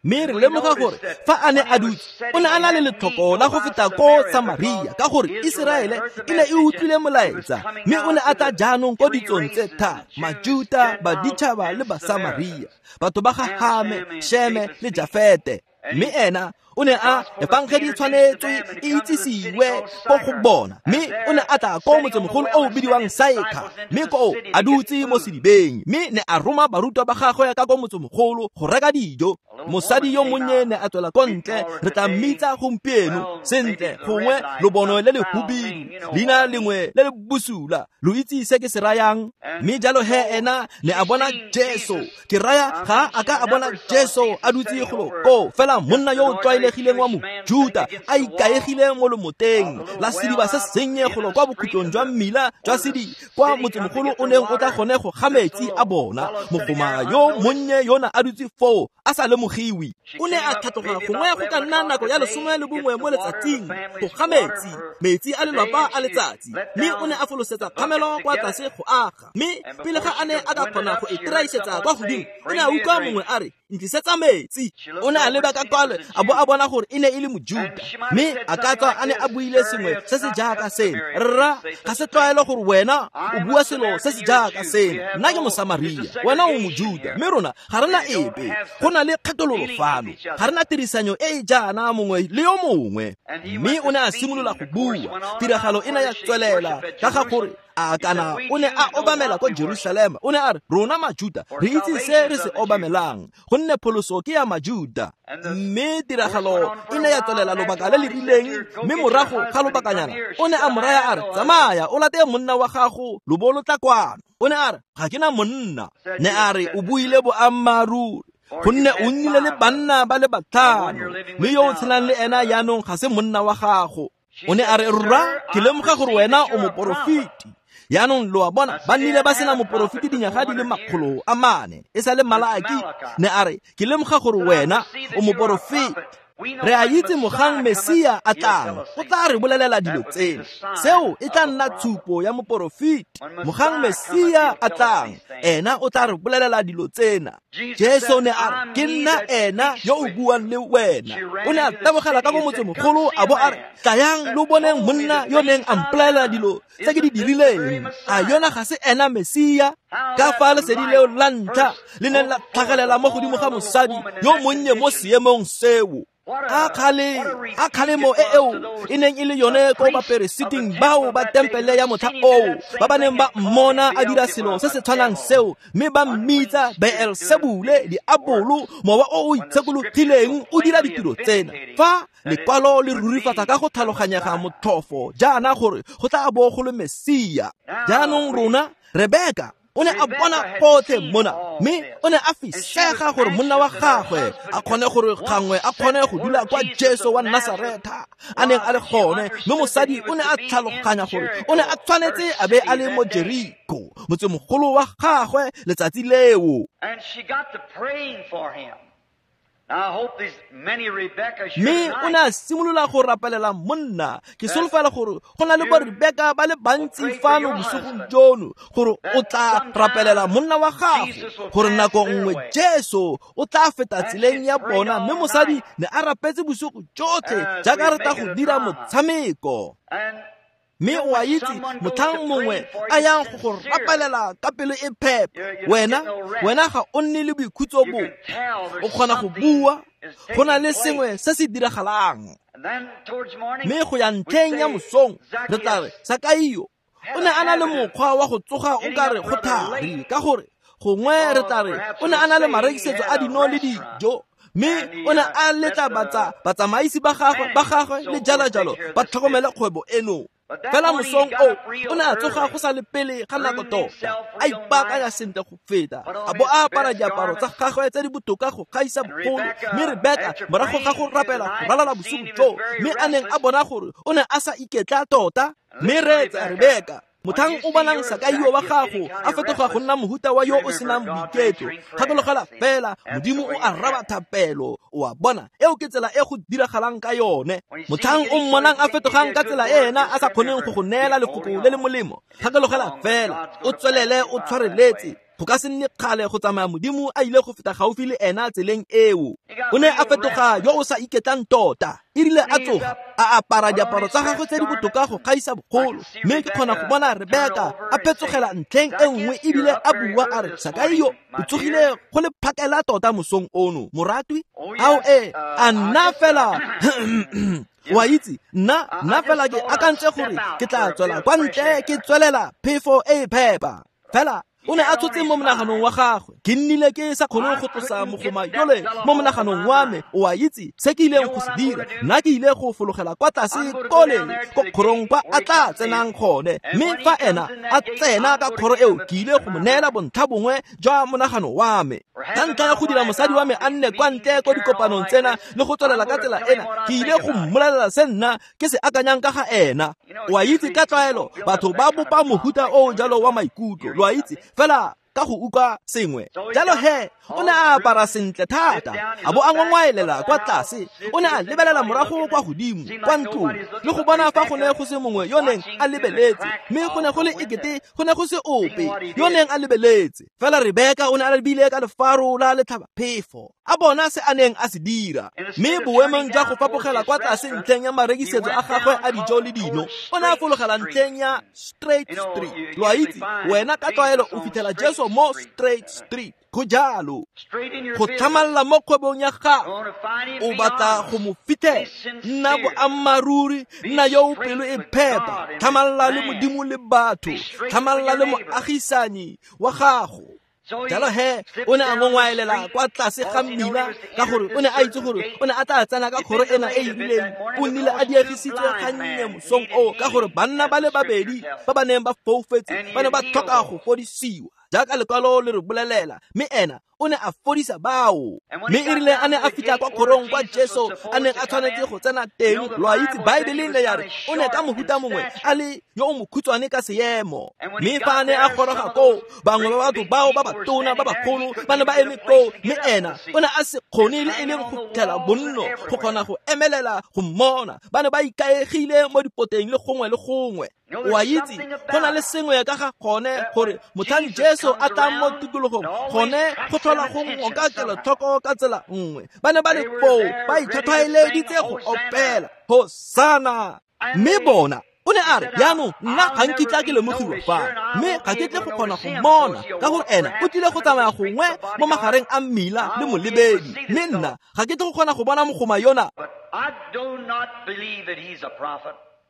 Mme re lemoga gore fa a ne a dutse, o ne a na le letlhoko la go feta ko Samaria, ka gore Iseraele e ne e utlwile molaetsa, mme o ne a tla jaanong ko ditsong tse tharo, Majuta, Baditšhaba le Basamaria, batho ba ga Hame, Sheme le Jafete. Mme ena o ne a efangedi e tshwanetswe e itsisiwe ko go bona, mme o ne a tla ko motsemogolo o o bidiwang Saekha, mme koo a dutse mo sedibeng, mme ne a roma barutwa ba gagwe ka ko motsemogolo go reka dijo. Mosadi yo monnye ne a tswela ko ntle, re tla mmitsa gompieno sentle gongwe lobono le le hubidu, leina lengwe le le bosula, lo itse se ke se rayang. Mme jalo he ena ne a bona Jesu, ke raya ga a ka a bona Jesu a dutse golo koo, fela monna yo o tlwaelegileng wa Mojuta a ikaegile mo lomoteng la sediba se sennye golo kwa bokhutlong jwa mmila jwa sedi kwa motsemogolo o neng o tla gone go ga metsi a bona. Mogoma yo monnye yona a dutse foo a sa lemogiwe. O ne a tlhatloga gongwe go ka nna nako ya lesome le bongwe mo letsatsing go ga metsi, metsi a lelapa a letsatsi, mme o ne a folosetsa kgamelo kwa tlase go aga. Mme pele ga a ne a ka kgona go e traisetsa kwa godimo, o ne a utlwa mongwe a re, ntlisetsa metsi. O ne a leba ka kwale a bo a bona gore e ne e le Mojuta, mme a ka tswa a ne a buile sengwe se se jaaka seno, rra, ga se tlwaelo gore wena o bua selo se se jaaka seno. Nna ke Mosamaria, wena o Mojuta, mme rona ga re na epe, go na le kgethololo fano, ga re na tirisanyo e e jaana mongwe le yo mongwe. Mme o ne a simolola go bua, tiragalo e ne ya tswelela ka ga gore a kana o ne a obamela ko Jerusalema. O ne a re, rona Majuta re itse se re se obamelang, gonne pholoso ke ya Majuta. Mme tiragalo e ne ya tswelela lobaka le le rileng, mme morago ga lobakanyana o ne a mo raya a re, tsamaya o late monna wa gago, lo bo lo tla kwano. O ne a re, ga ke na monna. Ne a re, o buile boammaaruri, gonne o nnile le banna ba le batlhano, mme yo o tshelang le ena jaanong ga se monna wa gago. O ne a re, rra, ke lemoga gore wena o moporofeti. Jaanong lo a bona, ba nnile ba sena moporofeti dinyaga di le makgolo a mane, e sa le Malaki. Ne a re, ke lemoga gore wena o moporofeti. Re a itse mogang Mesia a tlang, o tla re bolelela dilo tseno. Seo e tla nna tshupo ya moporofeti. Mogang Mesia a tlang, ena o tla re bolelela dilo tsena. Jesu ne a re, ke nna ena yo o buang le wena. O ne a tabogela ka ko motsemogolo a bo a re, tlayang lo boneng monna yo neng a mpolelela dilo tse ke di dirileng. A yona ga se ena Mesia? Ka fa lesedi leo la ntlha le neng la tlhagelela mo godimo ga mosadi yo monnye mo seemong seo. A kgale, a kgalemo e eo e neng e le yone ko baperesiting bao ba tempele ya motlha oo, ba ba neng ba mmona a dira selo se se tshwanang seo, mme ba mmitsa Beelsebule, diabolo, mowa o o itshekologileng o dira ditiro tsena. Fa lekwalo le rurifatsa ka go tlhaloganyega motlhofo jaana gore go tla bo go le Mesia. Jaanong rona Rebeka o ne a bona gotlhe mona, mme o ne a fisega gore monna wa gagwe a kgone gore gangwe a kgone go dula kwa Jesu wa Nasaretha a neng a le gone. Mme mosadi o ne a tlhaloganya gore o ne a tshwanetse a be a le mo Jeriko, motsemogolo wa gagwe letsatsi leo. Mme o ne a simolola go rapelela monna. Ke solofela gore go na le bo Rebeka ba le bantsi fano bosigong jono, gore o tla rapelela monna wa gago, gore nako nngwe Jesu o tla feta tseleng ya bona. Mme mosadi ne a rapetse bosigo jotlhe jaaka re tla go dira motshameko. Mme o a itse motlhang mongwe a yang go go rapelela ka pelo e phepa, wena wena ga o nne le boikhutso bo. O kgona go bua, go na le sengwe se se diragalang. Mme go ya ntlheng ya mosong re tla re Sakaio o ne a na le mokgwa wa go tsoga o ka re go thari, ka gore gongwe re tla re o ne a na le marekisetso a dino le dijo, mme o ne a letla batsamaisi ba gagwe ba gagwe le jalo jalo ba tlhokomele kgwebo eno. Fela mosong o o ne a tsoga go sa le pele ga nako tota, a ipaakanya sentle go feta, a bo a apara diaparo tsa gagwe tse di botoka go gaisa bogolo. Mme Rebeka morago ga go rapela go ralala bosigo joo, mme a neng a bona gore o ne a sa iketla tota. Mme reetsa Rebeka, motlhang o bonang Sakaio wa gago a fetoga go nna mohuta wa yo o senang boiketlo, gakologelwa fela Modimo o araba thapelo. O a bona, eo ke tsela e go diragalang ka yone. Motlhang o mmonang a fetogang ka tsela e ena a sa kgoneng go go neela lefoko le le molemo, gakologelwa fela o tswelele o tshwareletse. Go ka se nne kgale go tsamaya Modimo a ile go feta gaufi le ena tseleng eo. O ne a fetoga yo o sa iketlang tota. E rile a tsoga a apara diaparo tsa gagwe tse di botoka go gaisa bogolo, mme ke kgona go bona Rebeka a phetsogela ntlheng e nngwe ebile a bua a re, Sakaio o tsogile go le phakela tota mosong ono, moratwi. Ao e a nna fela wa itse, nna nna fela ke akantse gore ke tla tswela kwa ntle ke tswelela phefo e e phepa. Fela o ne a tshotse mo monaganong wa gagwe, ke nnile ke sa kgone go tlosa mogoma yole mo monaganong wa me. O a itse se ke ileng go se dira, nna ke ile go fologela kwa tlase kole ko kgorong kwa a tla tsenang gone, mme fa ena a tsena ka kgoro eo ke ile go mo neela bontlha bongwe jwa monagano wa me. Ka ntlha ya go dira mosadi wa me a nne kwa ntle ko dikopanong tsena le go tswelela ka tsela ena, ke ile go mmolelela se nna ke se akanyang ka ga ena. O a itse ka tlwaelo batho ba bopa mohuta o jalo wa maikutlo, lo a itse fela ka go utlwa sengwe. Jalo he o ne a apara sentle thata, a bo a ngongwaelela kwa tlase. O ne a lebelela morago kwa godimo kwa ntlong le go bona fa go ne go se mongwe yo neng a lebeletse, mme go ne go le ekete go ne go se ope yo neng a lebeletse. Fela Rebeka o ne a lebile ka lefaro la letlhabaphefo, a bona se a neng a se dira. Mme boemong jwa go fapogela kwa tlase ntlheng ya marekisetso a gagwe a dijo le dino, o ne a fologela ntlheng ya Straight Street. Lo a itse wena ka tlwaelo o fitlhela Jesu mo Straight Street. Go jalo go tlhamalla mo kgwebong ya gago, o batla go mo fitlhela. Nna boammaaruri, nna yo o pelo e phepa, tlhamalla le Modimo le batho, tlhamalla le moagisanyi wa gago. Jalo he o ne a ngongwaelela kwa tlase ga mmila, ka gore o ne a itse gore o ne a tla tsena ka kgoro ena e e rileng. O nnile a diegisitswe gannye mosong oo, ka gore banna ba le babedi ba ba neng ba foufetse ba ne ba tlhoka go fodisiwa, jaaka lekwalo le re bolelela, mme ena o ne a fodisa bao. Mme e rile a ne a fitlha kwa kgorong kwa Jesu a neng a tshwanetse go tsena teng, lo a itse Baebele ne ya re o ne ka mohuta mongwe a le yo o mokhutshwane ka seemo. Mme fa a ne a goroga koo, bangwe ba batho bao ba batona ba bagolo ba ne ba eme koo, mme ena o ne a se kgone le e leng go fitlhela bonno go kgona go emelela go mmona. Ba ne ba ikaegile mo dipoteng le gongwe le gongwe. O a itse go na le sengwe ka ga gone gore motlhang Jesu a tlang mo tikologong gone go tlhola go ngoka kelotlhoko ka tsela nngwe. Ba ne ba le foo ba itlhwatlhwaeleditse go opela Hosana. Mme bona o ne a re, jaanong nna ga nkitla ke lemogiwa fa, mme ga ke tle go kgona go mmona, ka gore ena o tlile go tsamaya gongwe mo magareng a mmila le molebedi, mme nna ga ke tle go kgona go bona mogoma yona.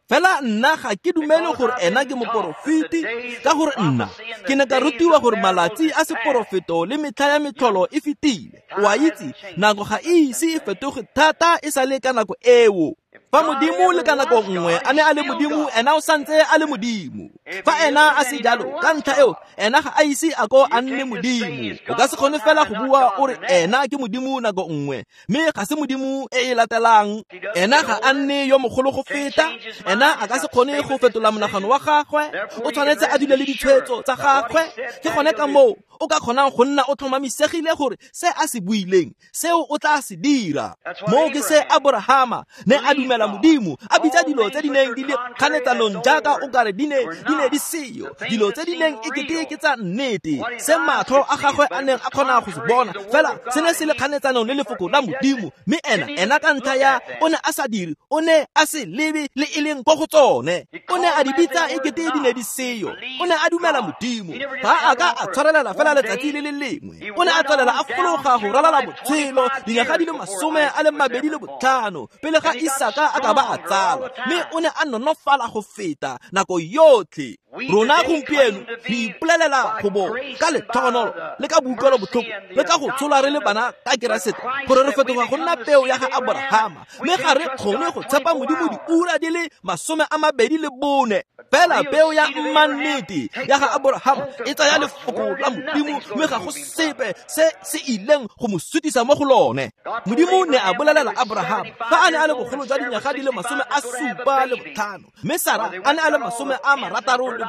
Fela nna ga ke dumele gore ena ke moporofeti, ka gore nna ke ne ka rutiwa gore malatsi a seporofeto le metlha ya metlholo e fetile. O a itse nako ga e ise e fetoge thata e sa le ka nako eo. Fa Modimo le ka nako nngwe a ne a le Modimo, ena o santse a le Modimo. Fa ena a se jalo, ka ntlha eo ena ga a ise a ko a nne Modimo. O ka se kgone fela go bua o re ena ke Modimo nako nngwe, mme ga se Modimo e e latelang. Ena ga a nne yo mogolo go feta, ena a ka se kgone go fetola monagano wa gagwe. O tshwanetse a dule le ditshwetso tsa gagwe. Ke gone ka moo o ka kgonang go nna o tlhomamisegile gore se a se buileng seo o tla se dira. Moo ke se Abrahama ne a dumela dumela Modimo, a bitsa dilo tse di neng di le kganetsanong jaaka o kare di ne di ne di seyo, dilo tse di neng ekete ke tsa nnete, se matlho a gagwe a neng a kgona go se bona, fela se ne se le kganetsanong le lefoko la Modimo. Mme ena ena ka ntlha ya o ne a sa dire, o ne a se lebe le e leng ko go tsone, o ne a di bitsa ekete di ne di seyo. O ne a dumela Modimo, ga a ka a tshwarelela fela letsatsi le le lengwe, o ne a tswelela a fologa go ralala botshelo dinyaga di le masome a le mabedi le botlhano pele ga Isaka a ka ba a tsalwa, mme o ne a nonofala go feta nako yotlhe. Rona gompieno re ipolelela go bo ka letlhogonolo le ka boikuelo botlhoko le ka go tsholwa re le bana ka Keresete gore re fetoga go nna peo ya ga Aborahama, mme ga re kgone go tshepa Modimo diura di le masome a mabedi le bone. Fela peo ya mmannete ya ga Aborahama e tsaya lefoko la Modimo, mme ga go sepe se se ileng go mo sutisa mo go lone. Modimo ne a bolelela Aborahama fa a ne a le bogolo jwa dinyaga di le masome a supa le botlhano, mme Sara a ne a le masome a marataro le botlhano.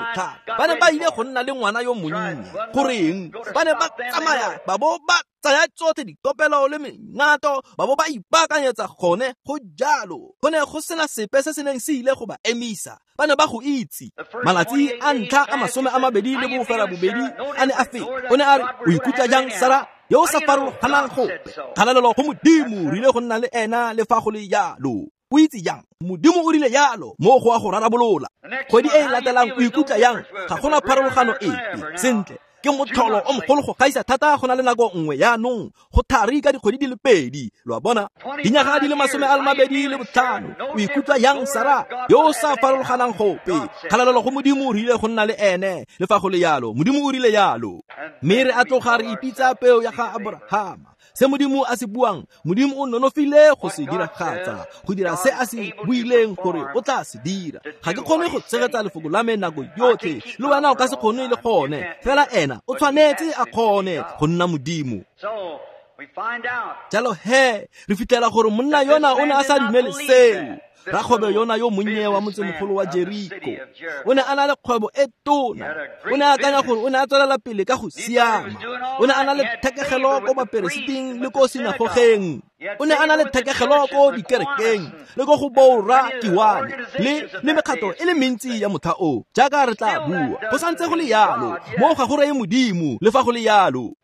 Ba ne ba ile go nna le ngwana yo monnye. Goreng? Ba ne ba tsamaya ba bo ba tsaya tsotlhe dikopelo le mengato, ba bo ba ipaakanyetsa gone go jalo. Go ne go sena sepe se se neng se ile go ba emisa, ba ne ba go itse. Malatsi a ntlha a masome a mabedi le bofela bobedi a ne a feta. O ne a re, o ikutlwa jang Sara yo o sa farologanang gope? Kgalalelo go Modimo, re ile go nna le ena le fa go le jalo. O itse jang? Modimo o rile jalo, mo go a go rarabolola. Kgwedi e e latelang o ikutlwa yang? Ga gona pharologano epe. Sentle, ke motlholo o mogolo go gaisa thata go na le nako nngwe yaanong, go thari ka dikgwedi di le pedi. Lo a bona? Dinyaga di le masome a le mabedi le botlhano. O ikutlwa yang Sara yo o sa farologanang gope? Kgalalelo go Modimo, re ile go nna le ene le fa go le jalo. Modimo o rile jalo. Mme re a tloga re ipitsa peo ya ga Aborahama. Se Modimo a se buang, Modimo o nonofile go se diragatsa, go dira se a se buileng gore o tla se dira. Ga ke kgone go tshegetsa lefoko la me nako yotlhe, le wena o ka se kgone le gone, fela ena o tshwanetse a kgone go nna Modimo. Jalo he, re fitlhela gore monna yona o ne a sa dumele seo. Rakgwebo yona yo monnye wa motsemogolo wa Jeriko o ne a na le kgwebo e tona. O ne a akanya gore o ne a tswelela pele ka go siama. O ne a na le thekegelo ko baperesiting le ko sinagogeng. O ne a na le thekegelo ko dikerekeng le ko go borra kiwane le le mekgato e le mentsi ya motha o, jaaka re tla bua. Go santse go le yalo, mo ga go reye Modimo le fa go le yalo.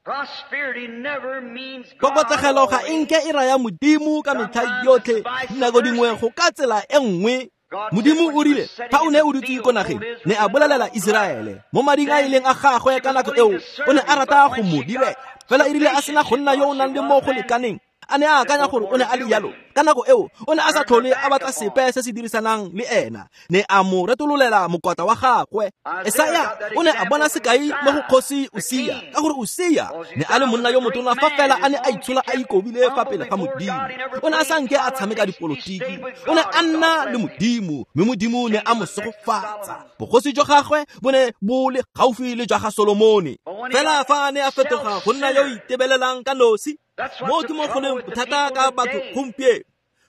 Kokotlegelo ga e nke e raya Modimo ka metlha yotlhe, dinako dingwe go ka tsela e nngwe. Modimo o rile fa o ne o dutse ko nageng, ne a bolelela Iseraele mo mading a ileng a gagwe ka nako eo, o ne a rata go mo direla. Fela e rile a sena go nna yo o nang le mo go lekaneng, a ne a akanya gore o ne a le jalo. Ka nako eo o ne a sa tlhole a batla sepe se se dirisanang le ena, ne a mo retololela mokwatla wa gagwe. Esaya o ne a bona sekai mo go kgosi Usia, ka gore Usia ne a le monna yo motona fa fela a ne a itshola a ikobile fa pele ga Modimo. O ne a sa nke a tshameka dipolotiki, o ne a nna le Modimo, mme Modimo ne a mo segofatsa. Bogosi jwa gagwe bo ne bo le gaufi le jwa ga Solomone. Fela fa a ne a fetoga go nna yo o itebelelang ka nosi, mo ke mo go leng bothata ka batho gompieno.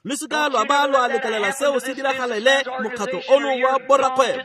Le seka lwa ba lwa letlelela seo se diragalele mokgatlho ono wa borrakgwebo,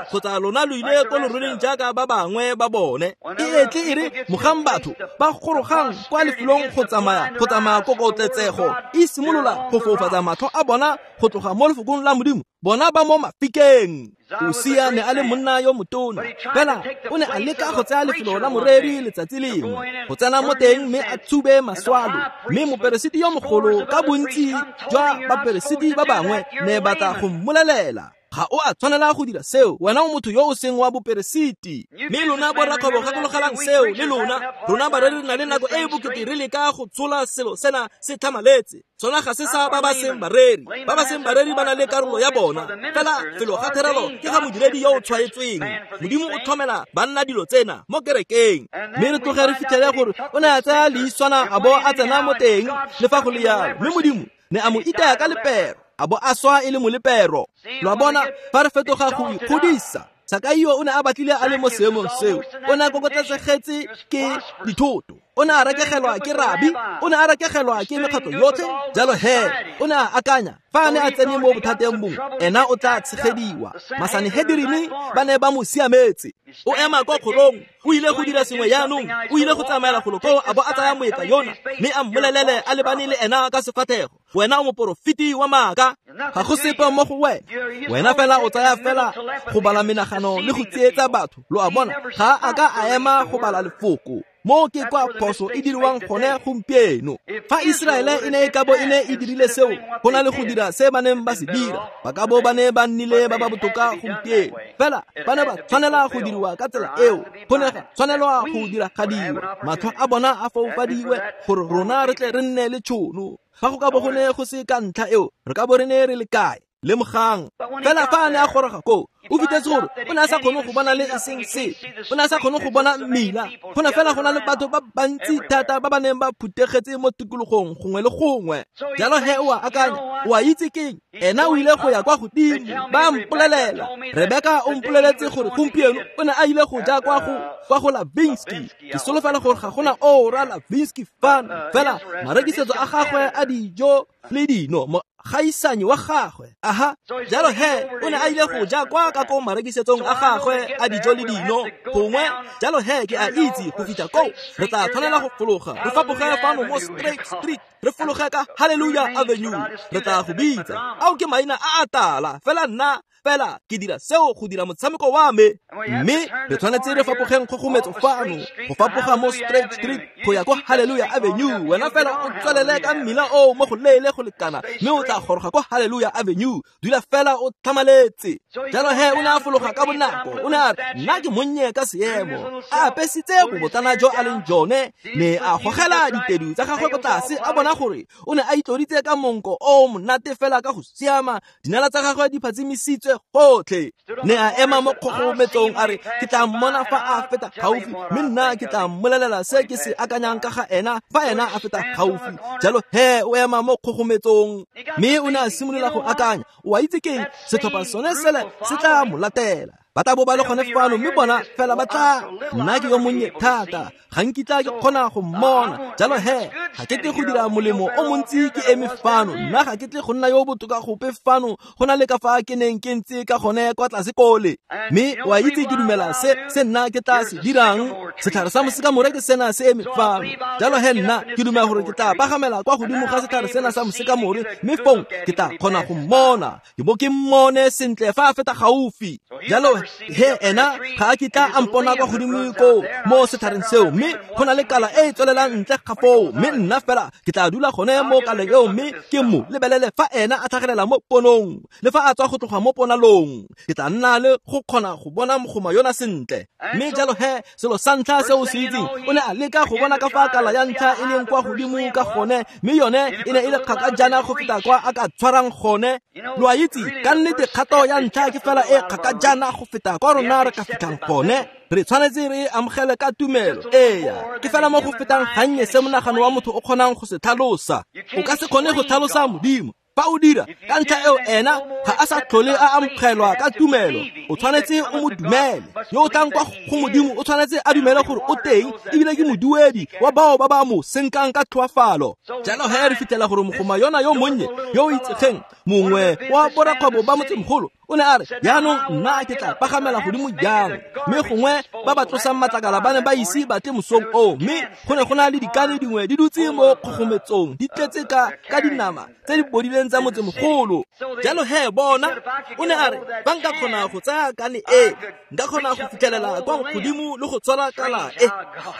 kgotsa lona lo ile ko loroleng jaaka ba bangwe ba bone. E etle e re mogang batho ba gorogang kwa lefelong go tsamaya go tsamaya kokotletsego e simolola go foufatsa matlho a bona go tloga mo lefokong la Modimo, bona ba mo mafikeng. Usia ne a le monna yo motona, fela o ne a leka go tsaya lefelo la moreri letsatsi lengwe, go tsena mo teng mme a tshube maswalo. Mme moperesiti yo mogolo ka bontsi jwa baperesiti ba bangwe ne batla go mmolelela, ga o a tshwanela go dira seo, wena o motho yo o seng wa boperesiti. Mme lona borrakgwebo gakologelang seo le lona. Rona bareri re na le nako e e bokete re leka go tshola selo sena se tlhamaletse. Sona ga se sa ba ba seng bareri. Ba ba seng bareri ba na le karolo ya bona, fela felo ga therelo ke ga modiredi yo o tshwaetsweng. Modimo o tlhomela banna dilo tsena mo kerekeng. Mme re tloge re fitlhele gore o ne a tsaya leiswana a bo a tsena mo teng le fa go le jalo, mme Modimo ne a mo itaya ka lepero, a bo a swa e le molepero. Lo a bona, fa re fetoga go ikgodisa, Sakaio o ne a batlile a le mo seemong seo. O ne a kokotletsegetse ke dithoto, o ne a rekegelwa ke rabi, o ne a rekegelwa ke mekgatlho yotlhe. Jalo he, o ne a akanya fa a ne a tsene mo bothateng bongwe, ena o tla tshegediwa. Masanehederini ba ne ba mo siametse. O ema kwa kgorong, o ile go dira sengwe yaanong, o ile go tsamaela golo koo a bo a tsaya moeka yona, mme a mmolelele a lebane le ena ka sefathego, wena o moporofeti wa maaka. Ga go sepe mo go wena. Wena fela o tsaya fela go bala menagano le go tsietsa batho. Lo a bona, ga a ka a ema go bala lefoko. Mo ke kwa phoso e diriwang gone gompieno. Fa Iseraele e ne e ka bo e ne e dirile seo, go na le go dira se ba neng ba se dira, ba ka bo ba ne ba nnile ba ba botoka gompieno. Fela ba ne ba tshwanela go diriwa ka tsela eo, go ne ga tshwanelwa go diragadiwa. Matlho a bona a foufadiwe gore rona re tle re nne le tšhono. Fa go ka bo go ne go se ka ntlha eo, re ka bo re ne re le kae? Lemogang. Fela fa a ne a goroga koo, o fitlhetse gore o ne a sa kgone go bona le e seng sepe. O ne a sa kgone go bona mmila. Go ne fela go na le batho ba bantsi thata ba ba neng ba phuthegetse mo tikologong gongwe le gongwe. Jalo he o a akanya, o a itse keng? Ena o ile go ya kwa godimo. Ba mpolelela. Rebeka o mpoleletse gore gompieno o ne a ile go ja kwa go kwa go Lavinsky. Ke solofela gore ga gona oora Lavinsky fano. Fela marekisetso a gagwe a dijo le dino gaisanyi wa gagwe. Aha, jalo he o ne a ile go ja kwa ka ko marekisetsong a gagwe a dijo le dino gongwe. Jalo he ke a itse go fitlha koo re tla tshwanela go fologa re fapoge fano mo Straight Street, re fologe ka Hallelujah Avenue. Re tla go bitsa ao ke maina a a tala, fela nna fela ke dira seo go dira motshameko wa me. Mme re tshwanetse re fapogeng kgogometso fano go fapoga mo Straight Street go ya kwa Hallelujah Avenue. Wena fela o tswelele ka mmila oo mo go leele go lekana, mme o tla goroga kwa Hallelujah Avenue. Dula fela o tlhamaletse. Jalo he o ne a fologa ka bonako. O ne a re, nna ke monnye ka seemo. A apesitse bobotlana jo a leng jone, ne a gogela ditedu tsa gagwe ko tlase, a bona gore o ne a itloditse ka monko o monate fela ka go siama. Dinala tsa gagwe di phatsimisitswe gotlhe. Ne a ema mo kgogometsong a re, ke tla mmona fa a feta gaufi, mme nna ke tla mmolelela se ke se akanyang ka ga ena fa ena a feta gaufi. Jalo he o ema mo kgogometsong, mme o ne a simolola go akanya, o a itse keng? Setlhopha sone sele se tla mo latela. Ba tla bo ba le gone fano, mme bona fela ba tla. Nna ke yo monnye thata, ga nkitla ke kgona go mmona. Jalo he ga ke tle go dira molemo o montsi ke eme fano. Nna ga ke tle go nna yo botoka gope fano go na le ka fa ke neng ke ntse ka gone kwa tlase kole. Mme o a itse ke dumela se se nna ke tla se dirang. Setlhare sa mosekamore ke sena se eme fano. Jalo he nna ke dumela gore ke tla pagamela kwa godimo ga setlhare sena sa mosekamore, mme fong ke tla kgona go mmona. Ke bo ke mmone sentle fa a feta gaufi. Jalo he ena ga a kitla a mpona kwa godimo koo mo setlhareng seo, mme go na le kala e e tswelelang ntle ga foo. Mme nna fela ke tla dula gone mo kaleng eo, mme ke mo lebelele fa ena a tlhagelela mo ponong le fa a tswa go tloga mo ponalong. Ke tla nna le go kgona go bona mogoma yona sentle. Mme jalo he selo sa ntlha se o se itseng, o ne a leka go bona ka fa kala ya ntlha e leng kwa godimo ka gone, mme yone e ne e le kgakajana go feta kwa a ka tshwarang gone. Lo a itse ka nnete kgato ya ntlha ke fela e kgakajana go feta kwa rona re ka fitlhang gone. Re tshwanetse re amogele ka tumelo. Eya, ke fela mo go fetang gannye se monagano wa motho o kgonang go se tlhalosa. O ka se kgone go tlhalosa Modimo. Fa o dira ka ntlha eo, ena ga a sa tlhole a amogelwa ka tumelo. O tshwanetse o mo dumele. Yo o tlang kwa go Modimo o tshwanetse a dumele gore o teng, ebile ke moduedi wa bao ba ba mo senkang ka tlhoafalo. Jalo he re fitlhela gore mogoma yona yo monnye yo o itsegeng, mongwe wa borakgwebo ba motsemogolo, o ne a re, jaanong nna ke tla pagamela godimo jang? Mme gongwe ba ba tlosang matlakala ba ne ba ise ba tle mosong oo, mme go ne go na le dikane dingwe di dutse mo kgogometsong di tletse ka ka dinama tse di bodileng tsa motsemogolo. Jalo he bona, o ne a re, fa nka kgona go tsaya kane e, nka kgona go fitlhelela kwa godimo le go tshwara kala e.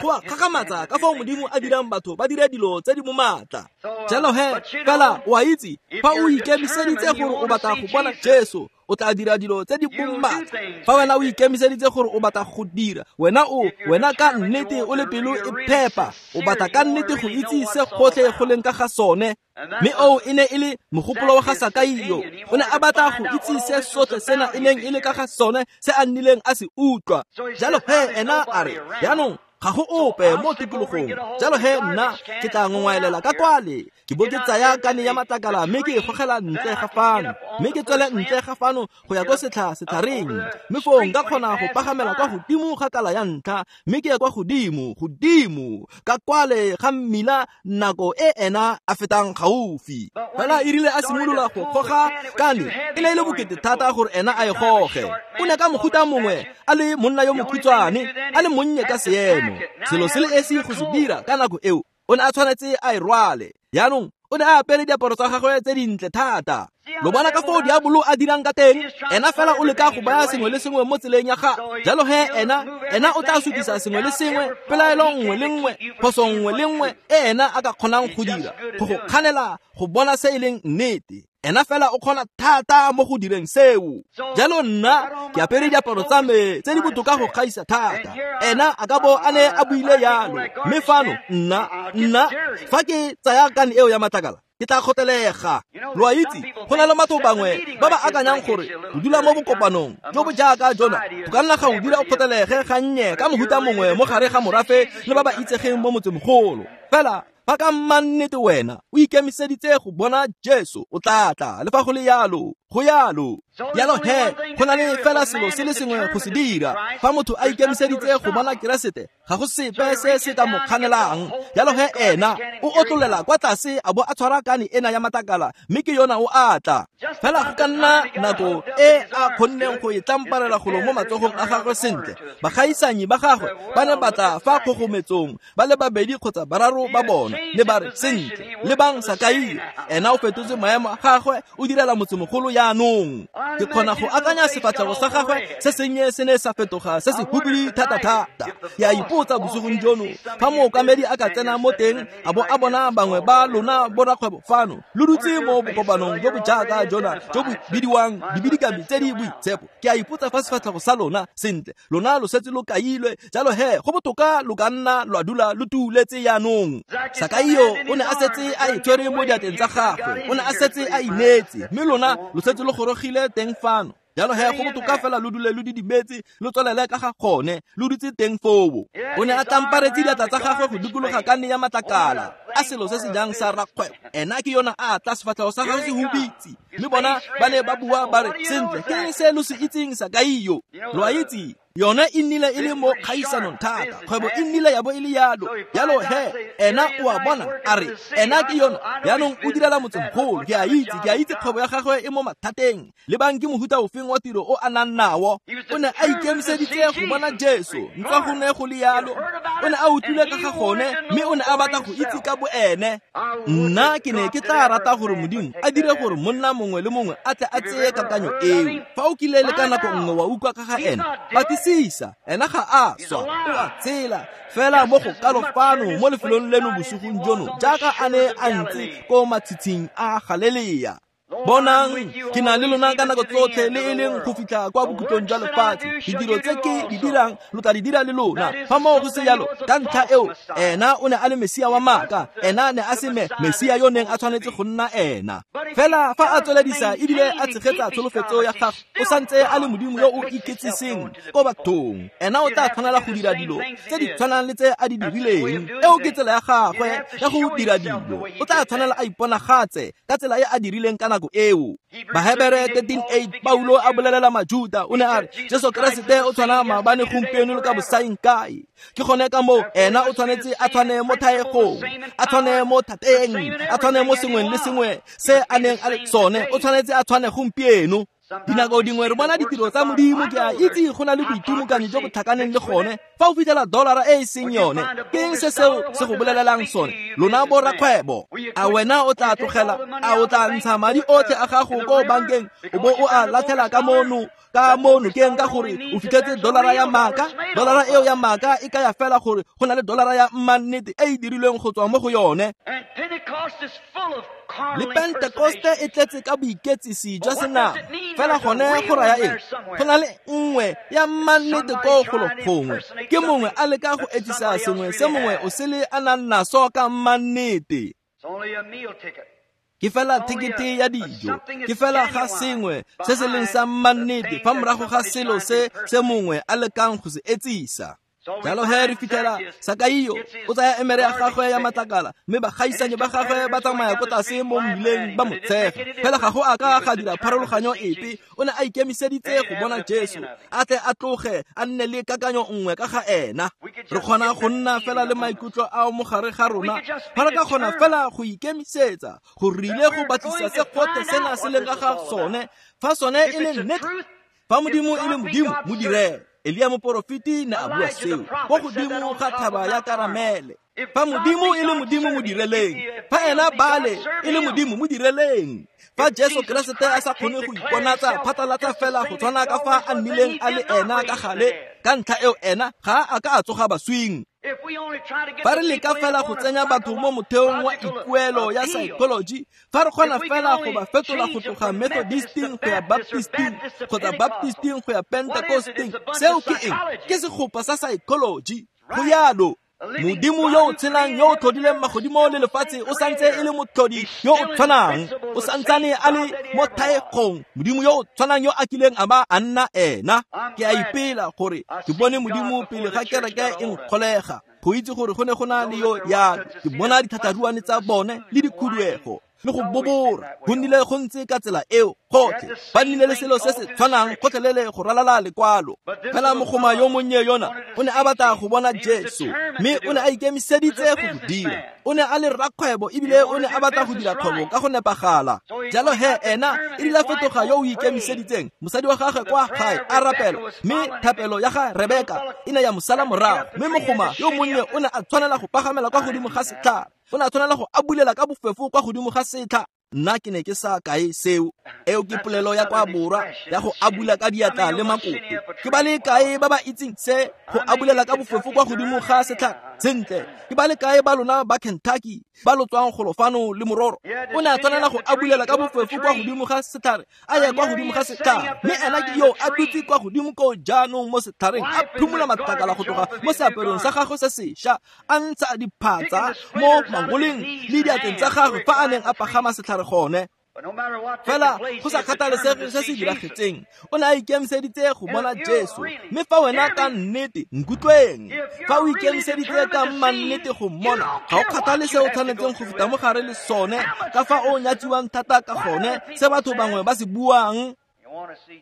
Go a kgakgamatsa ka fao Modimo a dirang batho ba dire dilo tse di mo maatla. Jalo he fela o a itse, fa o ikemiseditse gore o batla go bona Jesu, o tla dira dilo tse di bommatla. Fa wena o ikemiseditse gore o batla go dira, wena o wena ka nnete o le pelo e phepa, o batla ka nnete go itse se gotlhe go leng ka ga sone. Mme oo e ne e le mogopolo wa ga Sakaio. O ne a batla go itse se sotlhe sena e neng e le ka ga sone, se a nnileng a se utlwa. Jalo he ena a re, jaanong ga go ope mo tikologong. Jalo he nna ke tla ngongwaelela ka kwale, ke bo ke tsaya kane ya matlakala, mme ke e gogela ntle ga fano, mme ke tswele ntle ga fano go ya ko setlha setlhareng. Mme foo nka kgona go pagamela kwa godimo ga kala ya ntlha, mme ke ye kwa godimo godimo ka kwale ga mmila nako e ena a fetang gaufi. Fela e rile a simolola go goga kane, e ne e le bokete thata gore ena a e goge. O ne ka mohuta mongwe a le monna yo mokhutshwane, a le monnye ka seemo. Selo se le esi go se dira ka nako eo, o ne a tshwanetse a e rwale. Jaanong o ne a apere diaparo tsa gagwe tse dintle thata. Lo bona ka foo diabolo a dirang ka teng, ena fela o leka go baya sengwe le sengwe mo tseleng ya gagwe. Jalo he ena ena o tla sutisa sengwe le sengwe, pelaelo nngwe le nngwe, phoso nngwe le nngwe e ena a ka kgonang go dira, go go kganela go bona se e leng nnete. Ena fela o kgona thata mo go direng seo. Jalo nna ke apere diaparo tsa me tse di botoka go gaisa thata. Ena a ka bo a ne a buile yalo. Mme fano nna nna fa ke tsaya kane eo ya matlakala, ke tla kgotelega. Lo a itse, go na le batho bangwe ba ba akanyang gore go dula mo bokopanong jo bo jaaka jona go ka nna ga o dira o kgotelege gannye ka mohuta mongwe mo gare ga morafe le ba ba itsegeng mo motsemogolo. Fela fa ka mmannete wena o ikemiseditse go bona Jesu, o tla tla le fa go le yalo, go yalo. Jalo he, go na le fela selo se le sengwe go se dira. Fa motho a ikemiseditse go bona Keresete, ga go sepe se se ka mo kganelang. Jalo he ena o otlolela kwa tlase a bo a tshwara kane ena ya matlakala, mme ke yona o a tla. Fela go ka nna nako e a kgonneng go e tlamparela golo mo matsogong a gagwe sentle. Bagaisanyi ba gagwe ba ne ba tla fa kgogometsong ba le babedi kgotsa bararo ba bona, ne ba re, sentle, lebang Sakaio, ena o fetotse maemo a gagwe, o direla motsemogolo jaanong. Ke kgona go akanya sefatlhego sa gagwe se sennye se ne sa fetoga se se hubidu thata-thata. Ke a ipotsa bosigong jono, fa mookamedi a ka tsena mo teng a bo a bona bangwe ba lona borakgwebo fano lo dutse mo bokopanong jo bo jaaka jona jo bo bidiwang dibidikami tse di boitshepo, ke a ipotsa fa sefatlhego sa lona sentle, lona lo setse lo kailwe. Jalo he go botoka lo ka nna lwa dula lo tuletse jaanong. Sakaio o ne a setse a e tshwere mo diatleng tsa gagwe, o ne a setse a ineetse, mme lona lo setse lo gorogile teng fano. Jalo he go botoka fela lo dule lo didimetse, lo tswelele ka ga gone, lo dutse teng foo. O ne a tlamparetse diatla tsa gagwe go dikologa kane ya matlakala, a selo se se jang sa rakgwebo. Ena ke yona a tla, sefatlhego sa gagwe se hubitse. Mme bona ba ne ba bua ba re, sentle, ke se lo se itseng Sakaio? Lo a itse, yone e nnile e le mo kgaisanong thata, kgwebo e nnile ya bo e le yalo. Jalo he ena o a bona, a re ena ke yona jaanong o direla motsemogolo. Ke a itse, ke a itse kgwebo ya gagwe e mo mathateng. Lebang ke mohuta ofeng wa tiro o a nang nao. O ne a ikemiseditse go bona Jesu, ntswa go ne go le yalo. O ne a utlwile ka ga gone, mme o ne a batla go itse ka boene. Nna ke ne ke tla rata gore Modimo a dire gore monna mongwe le mongwe a tle a tseye kakanyo eo. Fa o kile le ka nako nngwe wa utlwa ka ga ena, batlisisa, ena ga a swa, o a tshela fela mo go kalo fano mo lefelong leno bosigong jono, jaaka a ne a ntse ko matshitshing a Galelea. Bonang, ke na le lona ka nako tsotlhe, le e leng go fitlha kwa bokhutlong jwa lefatshe. Ditiro tse ke di dirang lo tla di dira le lona. Fa moo go se jalo, ka ntlha eo ena o ne a le Mesia wa maaka, ena ne a se me Mesia yo neng a tshwanetse go nna ena. Fela fa a tsweledisa ebile a tshegetsa tsholofetso ya gagwe, o santse a le Modimo yo o iketsiseng ko bathong. Ena o tla tshwanela go dira dilo tse di tshwanang le tse a di dirileng. Eo ke tsela ya gagwe ya go dira dilo. O tla tshwanela a iponagatse ka tsela e a dirileng ka nako eo. Bahebere thirteen eight, Paulo a bolelela Majuda, o ne a re Jesu Keresete o tshwana maabane, gompieno le ka bosaeng kae. Ke gone ka moo ena o tshwanetse a tshwane mo thaegong, a tshwane mo thateng, a tshwane mo sengweng le sengwe se a neng a le sone, o tshwanetse a tshwane gompieno. Dinako dingwe re bona ditiro tsa Modimo, ke a itse go na le boitimokanyi jo bo tlhakaneng le gone. Fa o fitlhela dollara e e seng yone, ke eng se seo se go bolelelang sone? Lona borakgwebo, a wena o tla tlogela, a o tla ntsha madi otlhe a gago ko bankeng o bo o a latlhela ka mono ka mo nokeng ka gore o fitlhetse dollara ya maaka? Dollara eo ya maaka e kaya fela gore go na le dollara ya mmannete e e dirilweng go tswa mo go yone. Le Pentekoste e tletse ka boiketsisi jwa senama. Fela gone go raya eng? Go na le nngwe ya mmannete ko golo gongwe. Ke mongwe a leka go etsisa sengwe se mongwe o sele a nang naso ka mmannete. Ke fela thekete ya dijo, ke fela ga sengwe se se leng sa mmannete fa morago ga selo se se mongwe a lekang go se etsisa. Jalo he re fitlhela Sakaio o tsaya emere ya gagwe ya matlakala, mme bagaisanyi ba gagwe ba tsamaya ko tlase mo mmileng ba mo tshega. Fela ga go a ka ga dira pharologanyo epe, o ne a ikemiseditse go bona Jesu, a tle a tloge a nne le kakanyo nngwe ka ga ena. Re kgona go nna fela le maikutlo ao mo gare ga rona, fa re ka kgona fela go ikemisetsa go rile go batlisa se gotlhe sena se leng ka ga sone. Fa sone e le nnete, fa Modimo e le Modimo, mo direle. Elia moporofeti ne a bua seo ko godimo ga thaba ya Karamele. Fa Modimo e le Modimo mo direleng, fa ena Baale e le Modimo mo direleng, fa Jesu Keresete a sa kgone go iponatsa phatlalatsa fela go tshwana ka fa a nnileng a le ena ka gale, ka ntlha eo ena ga a ka a tsoga baswing. Fa re leka fela go tsenya batho mo motheong wa ikuelo ya psychology, fa re kgona fela go ba fetola go tloga Methodisting go ya Baptisting kgotsa Baptisting go ya Pentecosting, seo ke eng? Ke segopa sa psychology. Go yalo. Modimo yo o tshelang yo o tlhodileng magodimo le lefatshe o santse e le motlhodi yo o tshwanang, o santsane a le mo thaegong. Modimo yo o tshwanang yo a kileng a ba a nna ena. Ke a ipela gore ke bone Modimo pele ga kereke e nkgolega, go itse gore go ne go na le yo ya ke bona dithatharuane tsa bone le dikhuduego le go bobora. Go nnile go ntse ka tsela eo gotlhe, ba nnile le selo se se tshwanang gotlhelele go ralala lekwalo. Fela mogoma yo monnye yona o ne a batla go bona Jesu, mme o ne a ikemiseditse go go dira. O ne a le rrakgwebo ebile o ne a batla go dira kgwebo ka go nepagala. Jalo he ena e rile fetoga yo o ikemiseditseng. Mosadi wa gagwe kwa gae a rapela, mme thapelo ya ga Rebeka e ne ya mo sala morago. Mme mogoma yo monnye o ne a tshwanela go pagamela kwa godimo ga setlhare, o ne a tshwanela go abulela ka bofefo kwa godimo ga setlha. Nna ke ne ke sa kae seo. Eo ke polelo ya kwa borwa ya go abula ka diatla le makoto. Ke ba le kae ba ba itseng se go abulela ka bofefo kwa godimo ga setlhare? Sentle, ke ba le kae ba lona ba Kentucky ba lo tswang golo fano le mororo? O ne a tshwanela go abulela ka bofefo kwa godimo ga setlhare, a ye kwa godimo ga setlhare. Mme ena ke yo a dutse kwa godimo ko jaanong mo setlhareng, a phimola matlakala go tloga mo seaperong sa gagwe se sešwa, a ntsha diphatsa mo mangoleng le diatleng tsa gagwe fa a neng a pagama setlhare gone. Fela go sa kgathalesege se se diragetseng, o ne a ikemiseditse go bona Jesu. Mme fa wena ka nnete, nkutlweng, fa o ikemiseditse ka mannete go mmona, ga o kgathale se o tshwanetseng go feta mo gare le sone, ka fa o nyatsiwang thata ka gone, se batho bangwe ba se buang.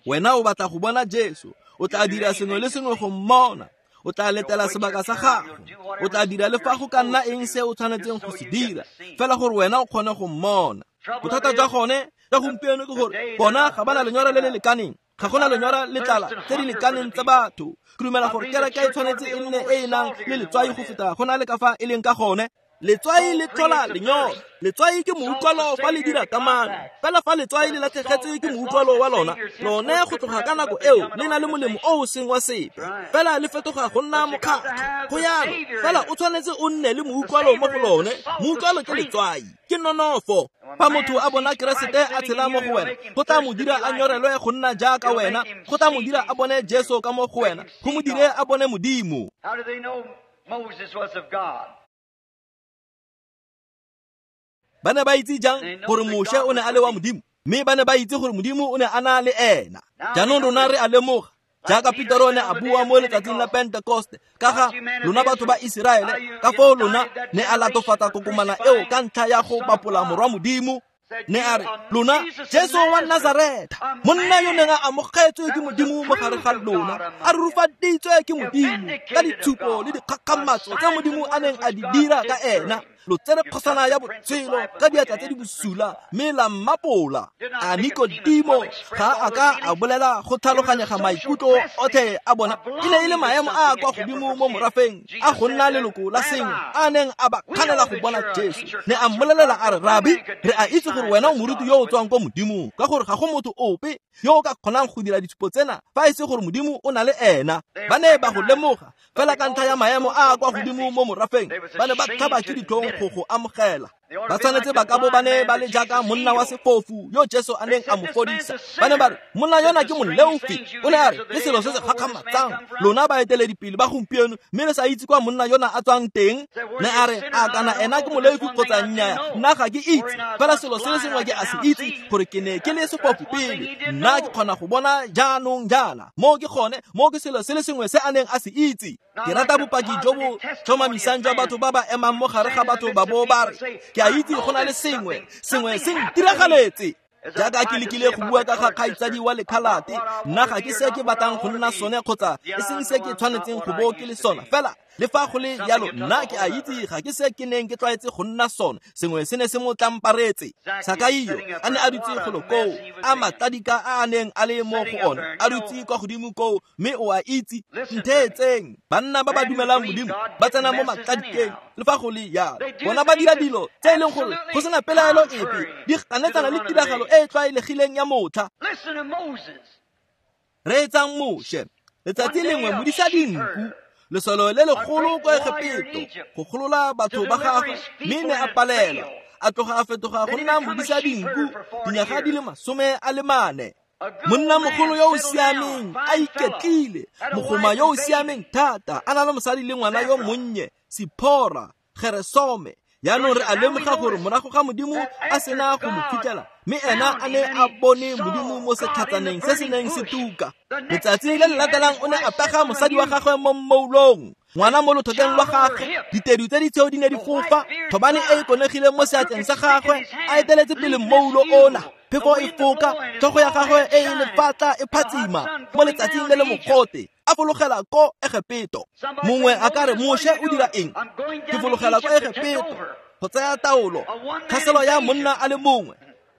Wena o batla go bona Jesu, o tla dira sengwe le sengwe go mmona. O tla letela sebaka sa gago, o tla dira le fa go ka nna eng se o tshwanetseng go se dira, fela gore wena o kgone go mmona. Bothata jwa gone jwa gompieno ke gore bona ga ba na lenyora le le lekaneng, ga gona lenyora le tlala tse di lekaneng tsa batho. Ke dumela gore kereke e tshwanetse e nne e e nang le letswai go feta go na le ka fa e leng ka gone. Letswai le tlhola lenyora, letswai ke moutlwalo fa le dira kamano. Fela fa letswai le latlhegetswe ke moutlwalo wa lona, lone go tloga ka nako eo le na le molemo o o seng wa sepe, fela le fetoga go nna mokgatlho. Go yalo, fela o tshwanetse o nne le moutlwalo mo go lone. Moutlwalo ke letswai, ke nonofo. Fa motho a bona Keresete a tshela mo go wena, go tla mo dira a nyorelwe go nna jaaka wena, go tla mo dira a bone Jesu ka mo go wena, go mo dire a bone Modimo. How do they know Moses was of God? Ba ne ba itse jang gore Moshe o ne a le wa Modimo? Mme ba ne ba itse gore Modimo o ne a na le ena. Jaanong rona re a lemoga, jaaka Petero o ne a bua mo letsatsing la Pentekoste ka ga lona batho ba Iseraele, ka foo lona ne a latofatsa kokomana eo ka ntlha ya go bapola morwa Modimo. Ne a re, lona Jesu wa Nazareta, monna yo neng a amogetswe ke Modimo mo gare ga lona, a rurufaditswe ke Modimo ka ditshupo le dikgakgamatso tse Modimo a neng a di dira ka ena, lo tsere kgosana ya botshelo ka diatla tse di bosula mme la mmapola. A Nikodimo ga a ka a bolela go tlhaloganyega maikutlo otlhe a bona? E ne e le maemo a a kwa godimo mo morafeng a go nna leloko la sengwe a neng a ba kganela go bona Jesu. Ne a mmolelela a re, Rabi, re a itse gore wena o moruti yo o tswang kwa Modimong, ka gore ga go motho ope yo o ka kgonang go dira ditshupo tsena fa e se gore Modimo o na le ena. Ba ne ba go lemoga fela ka ntlha ya maemo a a kwa godimo mo morafeng, ba ne ba tlhaba ke ditlhong go go amogela. Ba tshwanetse ba ka bo ba ne ba le jaaka monna wa sefofu yo Jesu a neng a mo fodisa. Ba ne ba re, monna yona ke moleofi. O ne a re, ke selo se se gakgamatsang, lona baeteledipele ba gompieno, mme le sa itse kwa monna yona a tswang teng. Ne a re, a kana ena ke moleofi kgotsa nnyaa, nna ga ke itse, fela selo se le sengwe ke a se itse, gore ke ne ke le sefofu pele, nna ke kgona go bona jaanong jaana. Mo ke gone, mo ke selo se le sengwe se a neng a se itse. Ke rata bopaki jo bo tlhomamisang jwa batho ba ba emang mo gare ga batho ba bo ba re, ke a itse go na le sengwe, sengwe se ntiragaletse. Jaaka ke lekile go bua ka ga kgaitsadi wa lekhalate, nna ga ke se ke batlang go nna sone kgotsa e seng se ke tshwanetseng go bo ke le sona, fela Le fa go le jalo nna ke a itse ga ke se ke neng ke tlwaetse go nna sone, sengwe se ne se mo tlamparetse. Sakaio a ne a dutse golo koo, a matladika a a neng a le mo go one, a dutse kwa godimo koo, mme o a itse, ntheetseng, banna ba ba dumelang Modimo ba tsena mo matladikeng. Le fa go le jalo bona ba dira dilo tse e leng gore go sena pelaelo epe di ganetsana le tiragalo e e tlwaelegileng ya motlha. Reetsang Moshe, letsatsi lengwe modisa dinku, lesolo le legolo kwa Egepeto go golola batho ba gagwe, mme ne a palelwa, a tloga a fetoga go nna modisa dinku dinyaga di le masome a le mane. Monna mogolo yo o siameng a iketlile, mogoma yo o siameng thata, a na le mosadi le ngwana yo monnye, Siphora, Geresome. Jaanong re a lemoga gore morago ga Modimo a sena go mo fitlhela, mme ena a ne a bone Modimo mo setlhatsaneng se se neng se tuka. Letsatsi le le latelang o ne a pega mosadi wa gagwe mo mmoulong, ngwana mo lothokeng lwa gagwe, ditedu tse di tshweu di ne di fofa, thobane e e konegileng mo seatleng sa gagwe, a eteletse pele mmoulo ona. Phefo e foka, tlhogo ya gagwe e e lefatla e phatsima mo letsatsing le le mogote, a fologela ko Egepeto. Mongwe a ka re, Moshe o dira eng? Ke fologela ko Egepeto go tsaya taolo, tlhaselo ya monna a le mongwe.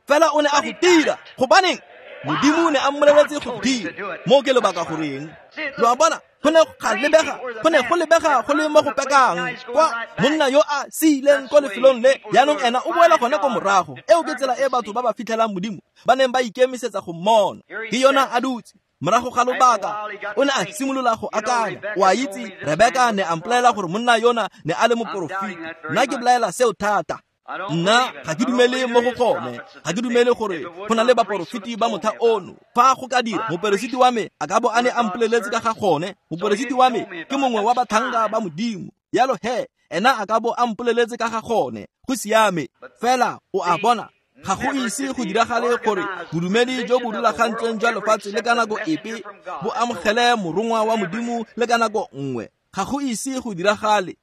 Fela o ne a go dira, gobaneng? Modimo o ne a mmoleletse go dira. Mo ke lebaka goreng? Lo a bona, go ne ga lebega, go ne go lebega go le mo go pekang kwa monna yo a siileng ko lefelong le, jaanong ena o boela gone ko morago. Eo ke tsela e batho ba ba fitlhelang Modimo ba neng ba ikemisetsa go mmona. Ke yona a dutse. Morago ga lobaka o ne a simolola go akanya, o a itse, Rebeka ne a mpolelela gore monna yona ne a le moporofeti. Nna ke belaela seo thata. Nna ga ke dumele mo go gone, ga ke dumele gore go na le baporofeti ba motlha ono. Fa go ka dira, moperesiti wa me a ka bo a ne a mpoleletse ka ga gone. Moperesiti wa me ke mongwe wa batlhanka ba Modimo, jalo he ena a ka bo a mpoleletse ka ga gone. Go siame. Fela o a bona, ga go ise go diragale gore bodumedi jo bo rulagantsweng jwa lefatshe le ka nako epe bo amogele morongwa wa Modimo le ka nako nngwe. Ga go ise go diragale.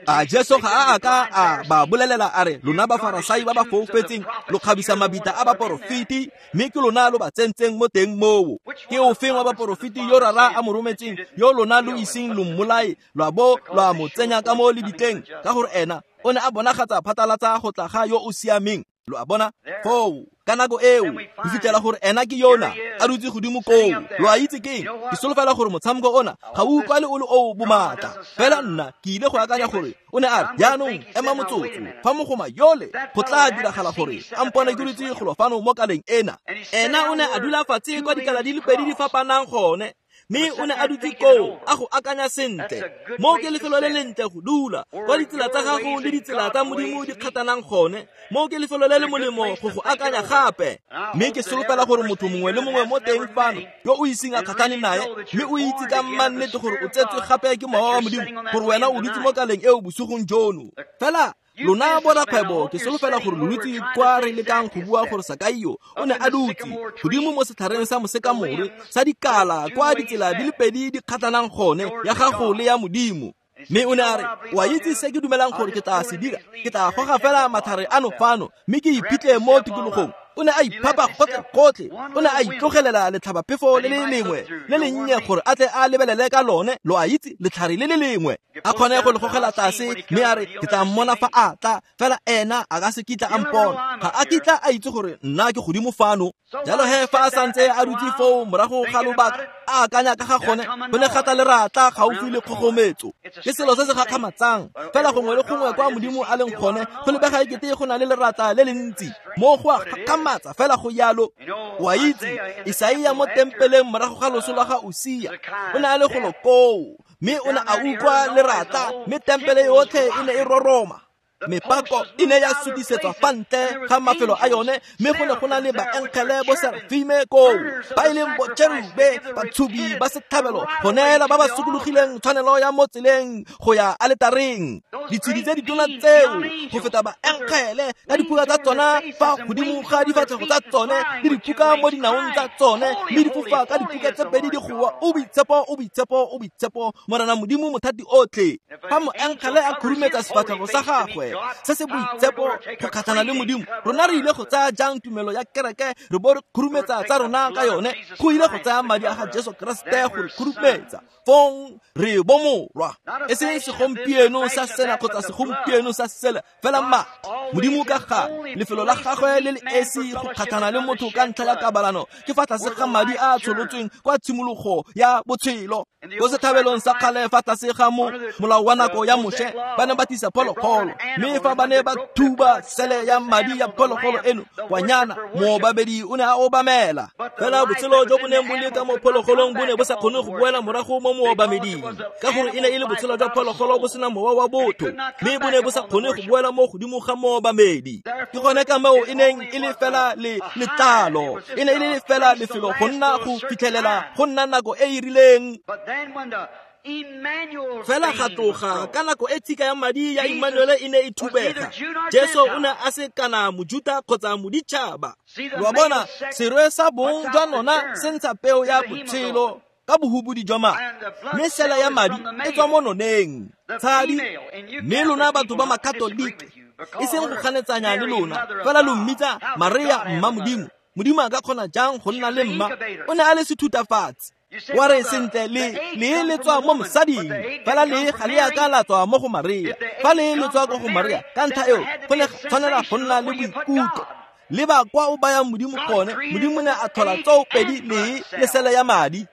A Jesu ga a a ka a ba bolelela a re, lona Bafarasai ba ba foufetseng, lo kgabisa mabitla a baporofeti, mme ke lona lo ba tsentseng mo teng moo. Ke ofeng wa baporofeti yo Rara a mo rometseng, yo lona lo iseng lo mmolae, lwa bo lwa mo tsenya ka mo lebitleng, ka gore ena o ne a bonagatsa phatlalatsa go tla ga yo o siameng. Lo a bona? Foo, ka nako eo, go fitlhela gore ena ke yona a dutse godimo koo. Lo a itse keng? Ke solofela gore motshameko ona ga o utlwale o le o bomatla. Fela nna ke ile go akanya gore o ne a re, jaanong ema motsotso, fa mogoma yole go tla diragala gore a mpone ke dutse golo fano mo kaleng ena. Ena o ne a dula fatshe kwa dikala di le pedi di fapanang gone, mme o ne a dutse koo a go akanya sentle. Mo ke lefelo le lentle go dula, kwa ditsela tsa gago le ditsela tsa Modimo di kgathanang gone. Mo ke lefelo le le molemo go go akanya gape. Mme ke solofela gore motho mongwe le mongwe mo teng fano yo o iseng a kgatlhane nae, mme o itse ka mannete gore o tsetswe gape ke Mowa wa Modimo, gore wena o dutse mo kaleng eo bosigong jono. Fela lona borakgwebo, ke solofela gore lo dutse kwa re lekang go bua gore Sakaio o ne a dutse godimo mo setlhareng sa mosekamore sa dikala kwa ditsela di le pedi di kgathanang gone, ya gago le ya Modimo. Mme o ne a re, o a itse se ke dumelang gore ke tla se dira? Ke tla goga fela matlhare ano fano, mme ke iphitlhe mo tikologong. O ne a iphapa gotlhe-gotlhe, o ne a itlogelela letlhabaphefo le le lengwe le lennye gore a tle a lebelele ka lone, lo a itse, letlhare le le lengwe, a kgone go le gogela tlase. Mme a re, ke tla mmona fa a tla, fela ena a ka se kitla a mpona, ga a kitla a itse gore nna ke godimo fano. Jalo he fa a santse a dutse foo morago ga lobaka a akanya ka ga gone, go ne ga tla leratla gaufi le kgogometso. Ke selo se se gakgamatsang, fela gongwe le gongwe kwa Modimo a leng gone go lebega ekete go na le leratla le le ntsi. Mo go a gakgamatsa fela go yalo. O a itse, Isaia mo tempeleng morago ga loso lwa ga Usia o ne a le golo koo, mme o ne a utlwa leratla, mme tempele yotlhe e ne e roroma. Mepako e ne ya sutisetswa fa ntle ga mafelo a yone, mme go ne go na le baengele bo Serafime koo, ba e leng bo Cherube, batshubi ba setlhabelo, go neela ba ba sokologileng tshwanelo ya mo tseleng go ya aletareng. Ditshedi tse ditona tseo go feta baengele ka diphuka tsa tsona fa godimo ga difatlhego tsa tsone, le diphuka mo dinaong tsa tsone, mme di fofa ka diphuka tse pedi di goa, o boitshepo, o boitshepo, o boitshepo, Morena Modimo mothati otlhe. Fa moengele a khurumetsa sefatlhego sa gagwe, gagwe se se boitshepo go kgatlhana le Modimo, rona re ile go tsaya jang tumelo ya kereke re bo re khurumetsa tsa rona ka yone? Go ile go tsaya madi a ga Jesu Keresete go re khurumetsa, fong re bo morwa. E seng segompieno sa sena kgotsa segompieno sa sele, fela madi. Modimo ka gale lefelo la gagwe le le esi go kgatlhana le motho ka ntlha ya kabalano ke fa tlase ga madi a a tsholotsweng kwa tshimologo ya botshelo. Ko sethabelong sa kgale fa tlase ga mo molao wa nako ya Moshe, ba ne ba tlisa phologolo, mme fa ba ne ba thuba sele ya madi ya phologolo eno kwanyana, moobabedi o ne a obamela. Fela botshelo jo bo neng bo le ka mo phologolong bo ne bo sa kgone go boela morago mo moobameding, ka gore e ne e le botshelo jwa phologolo bo sena mowa wa botho, mme bo ne bo sa kgone go boela mo godimo ga moobamedi. Ke gone ka moo e neng e le fela le letlalo, e ne e le fela lefelo go nna go fitlhelela go nna nako e e rileng. Fela ga tloga ka nako e tshika ya madi ya Emmanuel e ne e thubega, Jesu o ne a se kana Mojuta kgotsa moditšhaba. Lo bona, serwe sa bong jwa nona se ntsha peo ya botshelo ka bohubudi jwa madi, mme sela ya madi e tswa mo noneng tshadi. Mme lona batho ba Makatolike, e seng go ganetsanya le lona, fela lo mmitsa Maria mma Modimo. Modimo a ka kgona jang go nna le mma? O ne a le sethutafatsi. Wa re sentle le le le tswa mo mosading, fela le ga le a ka la tswa mo go Maria. Fa le le tswa ko go Maria, ka ntlha eo go ne tshwanela go nna le boikutlo. Le ba kwa o bayang Modimo gone, Modimo ne a tlhola tsoopedi le le sele ya madi.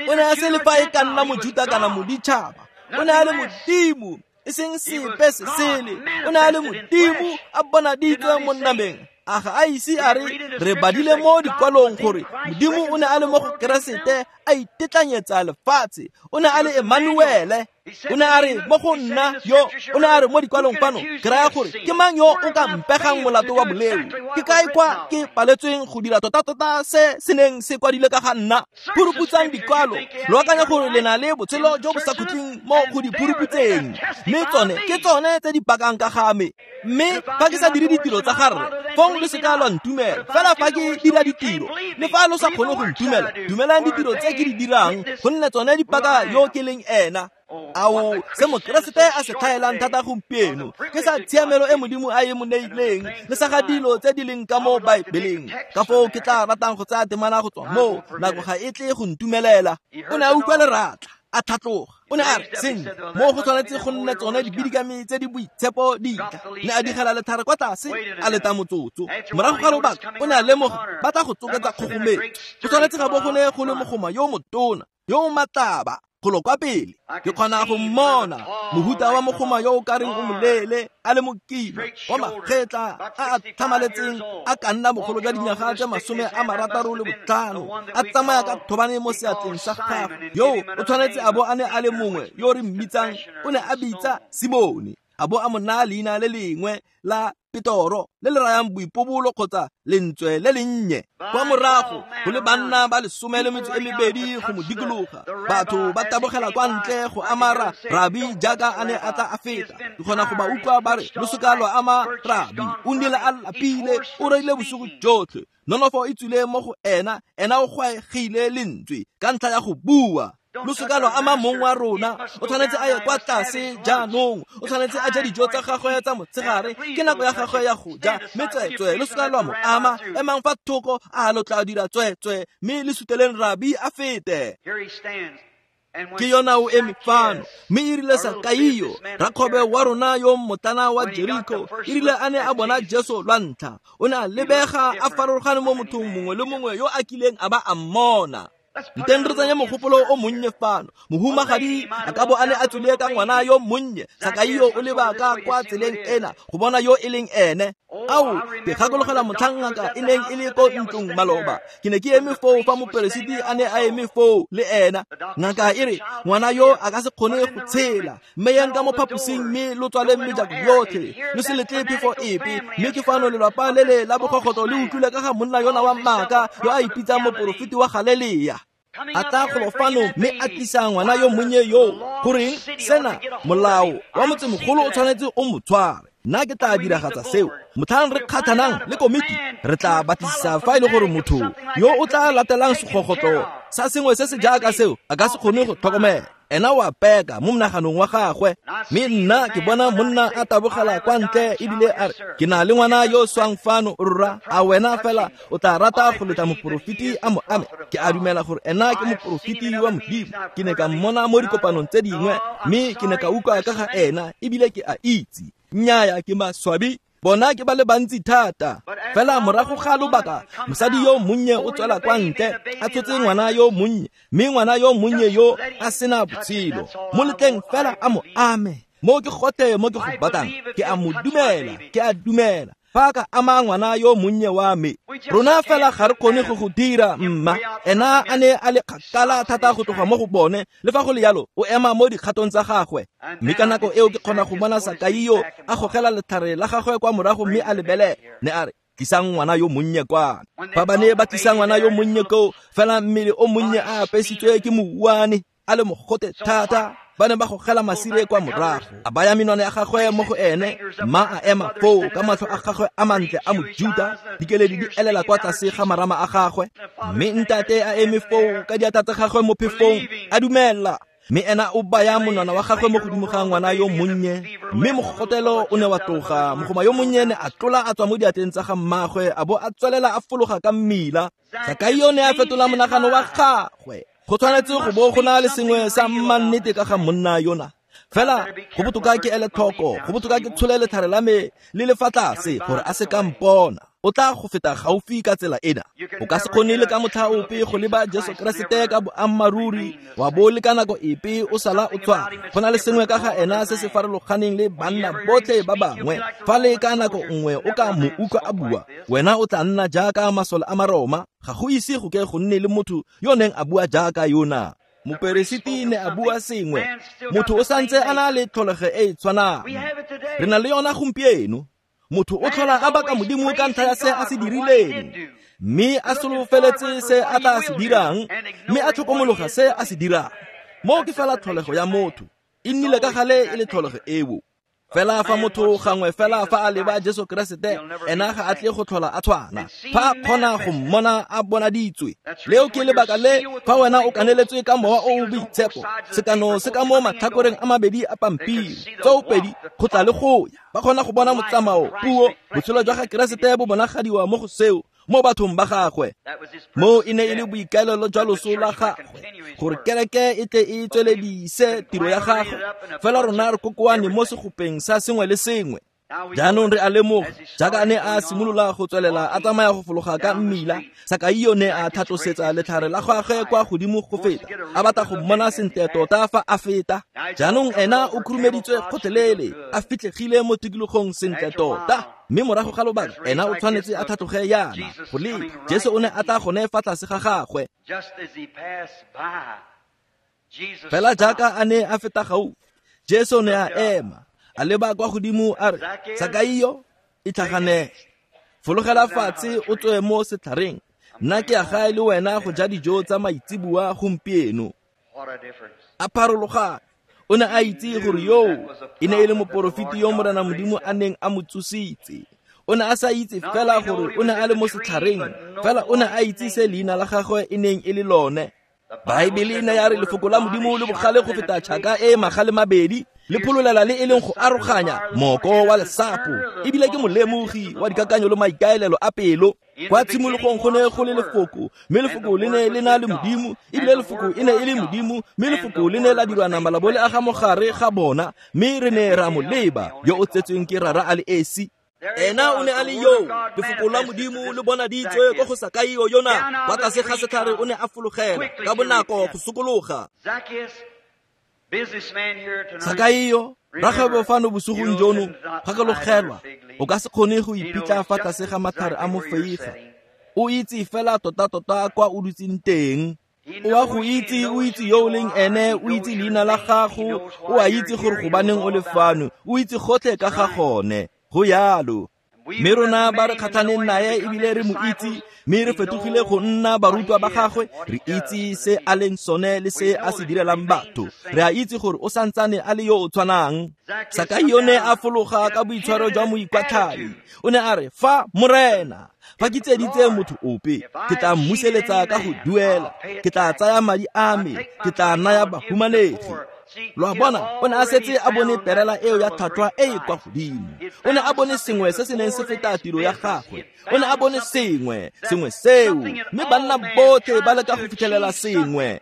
O ne a se le fa e ka nna Mojuta kana moditšhaba, o ne a le Modimo, e seng sepe se sele. O ne a le Modimo a bonaditswe mo nameng. A ga a ise a re re badile mo dikwalong gore Modimo o ne a le mo go Keresete a itetlanyetsa lefatshe. O ne a le Emmanuele. O ne a re mo go nna yo, o ne a re mo dikwalong fano, ke raya gore ke mang yo o ka mpegang molato wa boleo? Ke kae kwa ke paletsweng go dira tota-tota se se neng se kwadile ka ga nna? Phuruputsang dikwalo, lo akanya gore le na le botshelo jo bo sa khutleng mo go di phuruputseng, mme tsone ke tsone tse di pakang ka ga me. Mme fa ke sa dire ditiro tsa ga rre, fong lo se ka lwa ntumela. Fela fa ke dira ditiro, le fa lo sa kgone go ntumela, dumelang ditiro tse ke di dirang, gonne tsone di paka yo ke leng ena. Ao, se Mokeresete a se tlhaelang thata gompieno ke sa tshiamelo e Modimo a e mo neileng, le sa ga dilo tse di leng ka mo Baebeleng. Ka foo ke tla ratang go tsaya temana go tswa moo, nako ga e tle go ntumelela. O ne a utlwa leratla, a tlhatloga. O ne a re, sentle, mo go tshwanetse go nne tsone dibidikami tse di boitshepo di tla. Ne a digela lethare kwa tlase, a leta motsotso. Morago ga lobaka, o ne a lemoga ba tla go tsoketsa kgogometso. Go tshwanetse ga bo go ne go le mogoma yo motona, yo o matlaba golo kwa pele. Ke kgona go mmona mohuta wa mogoma yo o ka reng o moleele, a le mokima, wa magetla a a tlhamaletseng, a ka nna bogolo jwa dinyaga tse masome a marataro le botlhano, a tsamaya ka thobane mo seatleng sa gagwe. Yo o tshwanetse a bo a ne a le mongwe yo re mmitsang, o ne a bitsa Simone, a bo a mo naya leina le lengwe la Petoro, le le rayang boipobolo kgotsa lentswe le lennye. Kwa morago go le banna ba lesome le metso e mebedi go mo dikologa, batho ba tabogela kwa ntle go ama rabi jaaka a ne a tla a feta. Ke kgona go ba utlwa ba re, lo se ka lwa ama rabi, o nnile a lapile, o reile bosigo jotlhe, nonofo e tswile mo go ena, ena o gwaegile lentswe ka ntlha ya go bua. Lo se ka lwa ama mong wa rona, o tshwanetse a ye kwa tlase jaanong, o tshwanetse a ja dijo tsa gagwe tsa motshegare, ke nako ya gagwe ya go ja, mme tsweetswee lo se ka lwa mo ama, emang fa thoko, a lo tla dira tsweetswee, mme le suteleng rabi a fete. Ke yona o eme fano, mme e rile Sakaio, rakgwebo wa rona yo mmotlana wa Jeriko, e rile a ne a bona Jesu lwa ntlha, o ne a lebega a farologane mo mothong mongwe le mongwe yo a kileng a ba a mmona. Nteng re tsenya mogopolo o monnye fano. Mohumagadi a ka bo a ne a tswile ka ngwana yo monnye. Sakaio o leba ka kwa tseleng ena go bona yo e leng ene. Ao, ke gakologela motlhang ngaka e neng e le ko ntlong maloba. Ke ne ke eme foo fa moperesiti a ne a eme foo le ena. Ngaka e re, ngwana yo a ka se kgone go tshela. Mme yang ka mo phaposing mme lo tswale mejako yotlhe. Lo se letle phefo epe. Mme ke fano lelapa le le la bogogotlo le utlwile ka ga monna yona wa maaka yo a ipitsang moporofeti wa Galelea. A tla golo fano mme a tlisa ngwana yo monnye yo. Goreng sena molao wa motsemogolo o tshwanetse o mo tshware. Nna ke tla diragatsa seo. Motlhang re kgathanang le komiti, re tla batlisisa fa e le gore motho yo o tla latelang segogotlo sa sengwe se se jaaka seo a ka se kgone go tlhokomela. Ena o a peka mo monaganong wa gagwe. Mme nna ke bona monna a tabogela kwa ntle ebile a re, ke na le ngwana yo o swang fano, rra, a wena fela o tla rata go letla moporofeti a mo ame? Ke a dumela gore ena ke moporofeti wa Modimo. Ke ne ka mmona mo dikopanong tse dingwe, mme ke ne ka utlwa ka ga ena ebile ke a itse. Nnyaya, ke maswabi, bona ke ba le bantsi thata. Fela morago ga lobaka, mosadi yo monnye o tswela kwa ntle a tshotse ngwana yo monnye, mme ngwana yo monnye yo a sena botshelo. Mo letleng fela a mo ame. Mo ke gotlhe mo ke go batlang, ke a mo dumela, ke a dumela. Fa ka ama ngwana yo monnye wa me, rona fela ga re kgone go go dira, mma. Ena a ne a le kgakala thata go tloga mo go bone, le fa go le jalo o ema mo dikgatong tsa gagwe. Mme ka nako eo ke kgona go bona Sakaio a gogela letlhare la gagwe kwa morago mme a lebelele. Ne a re, tlisang ngwana yo monnye kwana. Fa ba ne ba tlisa ngwana yo monnye koo, fela mmele o monnye a apesitswe ke mouwane, a le mogote thata. Ba ne ba gogela masire kwa morago, a baya menwana ya gagwe mo go ene, mma a ema foo ka matlho a gagwe a mantle a Mojuta, dikeledi di elela kwa tlase ga marama a gagwe. Mme ntate a eme foo ka diatla tsa gagwe mo phefong, a dumela. Mme ena o baya monwana wa gagwe mo godimo ga ngwana yo monnye, mme mogotelo o ne wa tloga. Mogoma yo monnye ne a tlola a tswa mo diatleng tsa ga mmagwe, a bo a tswelela a fologa ka mmila. Sakaio ne a fetola monagano wa gagwe. Go tshwanetse go bo go na le sengwe sa mmannete ka ga monna yona. Fela go botoka ke ele tlhoko, go botoka ke tshole letlhare la me le le fa tlase gore a se ka mpona. O tla go feta gaufi ka tsela ena. O ka se kgone le ka motlha ope go leba Jesu Keresete ka boammaaruri, wa bo le ka nako epe o sala o tshwana. Go na le sengwe ka ga ena se se farologaneng le banna botlhe ba bangwe. Fa le ka nako nngwe o ka mo utlwa a bua, wena o tla nna jaaka masole a Maroma. Ga go ise go ke go nne le motho yo neng a bua jaaka yona. Moperesiti ne a bua sengwe, motho o santse a na le tlholego e e tshwanang. Re na le yona gompieno. Motho o tlhola a baka Modimo ka ntlha ya se a se dirileng, mme a solofeletse se a tla se dirang, mme a tlhokomologa se a se dirang. Moo ke fela tlholego ya motho, e nnile ka gale e le tlholego eo. Fela fa motho gangwe fela fa a leba Jesu Keresete, ena ga a tle go tlhola a tshwana. Fa a kgona go mmona a bonaditswe. Leo ke lebaka le fa wena o kaneletswe ka mowa o o boitshepo, sekano se ka mo matlhakoreng a mabedi a pampiri, tsoopedi go tla le go ya. Ba kgona go bona motsamao, puo, botshelo jwa ga Keresete bo bonagadiwa mo go seo, mo bathong ba gagwe. Mo e ne e le boikaelelo jwa loso la gagwe, gore kereke e tle e tsweledise tiro ya gagwe. Fela rona re kokoane mo segopeng sa sengwe le sengwe. Jaanong re a lemoga, jaaka a ne a simolola go tswelela a tsamaya go fologa ka mmila, Sakaio ne a tlhatlosetsa letlhare la gagwe kwa godimo go feta, a batla go mmona sentle tota fa a feta. Jaanong ena o khurumeditswe gotlhelele, a fitlhegile mo tikologong sentle tota. Mme morago ga lobaka, ena o tshwanetse a tlhatloge yana go leba. Jesu o ne a tla gone fa tlase ga gagwe. Fela jaaka a ne a feta gaufi, Jesu ne a ema, a leba kwa godimo a re, Sakaio, itlhaganele, fologela fatshe o tswe mo setlhareng. Nna ke ya gae le wena go ja dijo tsa maitseboa gompieno. A pharologane. O ne a itse gore yoo e ne e le moporofeti yo Morena Modimo a neng a mo tsositse. O ne a sa itse fela gore o ne a le mo setlhareng, fela o ne a itse se leina la gagwe e neng e le lone. Baebele e ne ya re lefoko la Modimo le bogale go feta tšhaka e magale mabedi, le phololela le e leng go aroganya moko wa lesapo, ebile ke molemogi wa dikakanyo le maikaelelo a pelo. Kwa tshimologong go ne go le lefoko, mme lefoko le ne le na le Modimo, ebile lefoko e ne e le Modimo, mme lefoko le ne la dirwa nama la bo le aga mogare ga bona, mme re ne ra mo leba yo o tsetsweng ke Rara a le esi. Ena o ne a le yo, lefoko la Modimo le bonaditswe ko go Sakaio yona. Kwa tlase ga setlhare o ne a fologela ka bonako go sokologa. Sakaio, rakgwebo fano bosigong jono, gakologelwa, o ka se kgone go iphitlha fa tlase ga matlhare a mofeiga. O itse fela tota-tota kwa o dutseng teng. O a go itse, o itse yo o leng ene, o itse leina la gago, o a itse gore gobaneng o le fano, o itse gotlhe ka ga gone. Go yalo. Mme rona ba re kgatlhaneng nae ebile re mo itse, mme re fetogile go nna barutwa ba gagwe, re itse se a leng sone le se a se direlang batho. Re a itse gore o santsane a le yo o tshwanang. Sakaio ne a fologa ka boitshwaro jwa moikwatlhai. O ne a re, fa Morena, fa ke tseditse motho ope, ke tla mmuseletsa ka go duela, ke tla tsaya madi a me, ke tla naya bahumanegi. Lo a bona, o ne a setse a bone perela eo ya tlhwatlhwa e e kwa godimo. O ne a bone sengwe se se neng se feta tiro ya gagwe. O ne a bone sengwe, sengwe seo, mme banna botlhe ba leka go fitlhelela sengwe.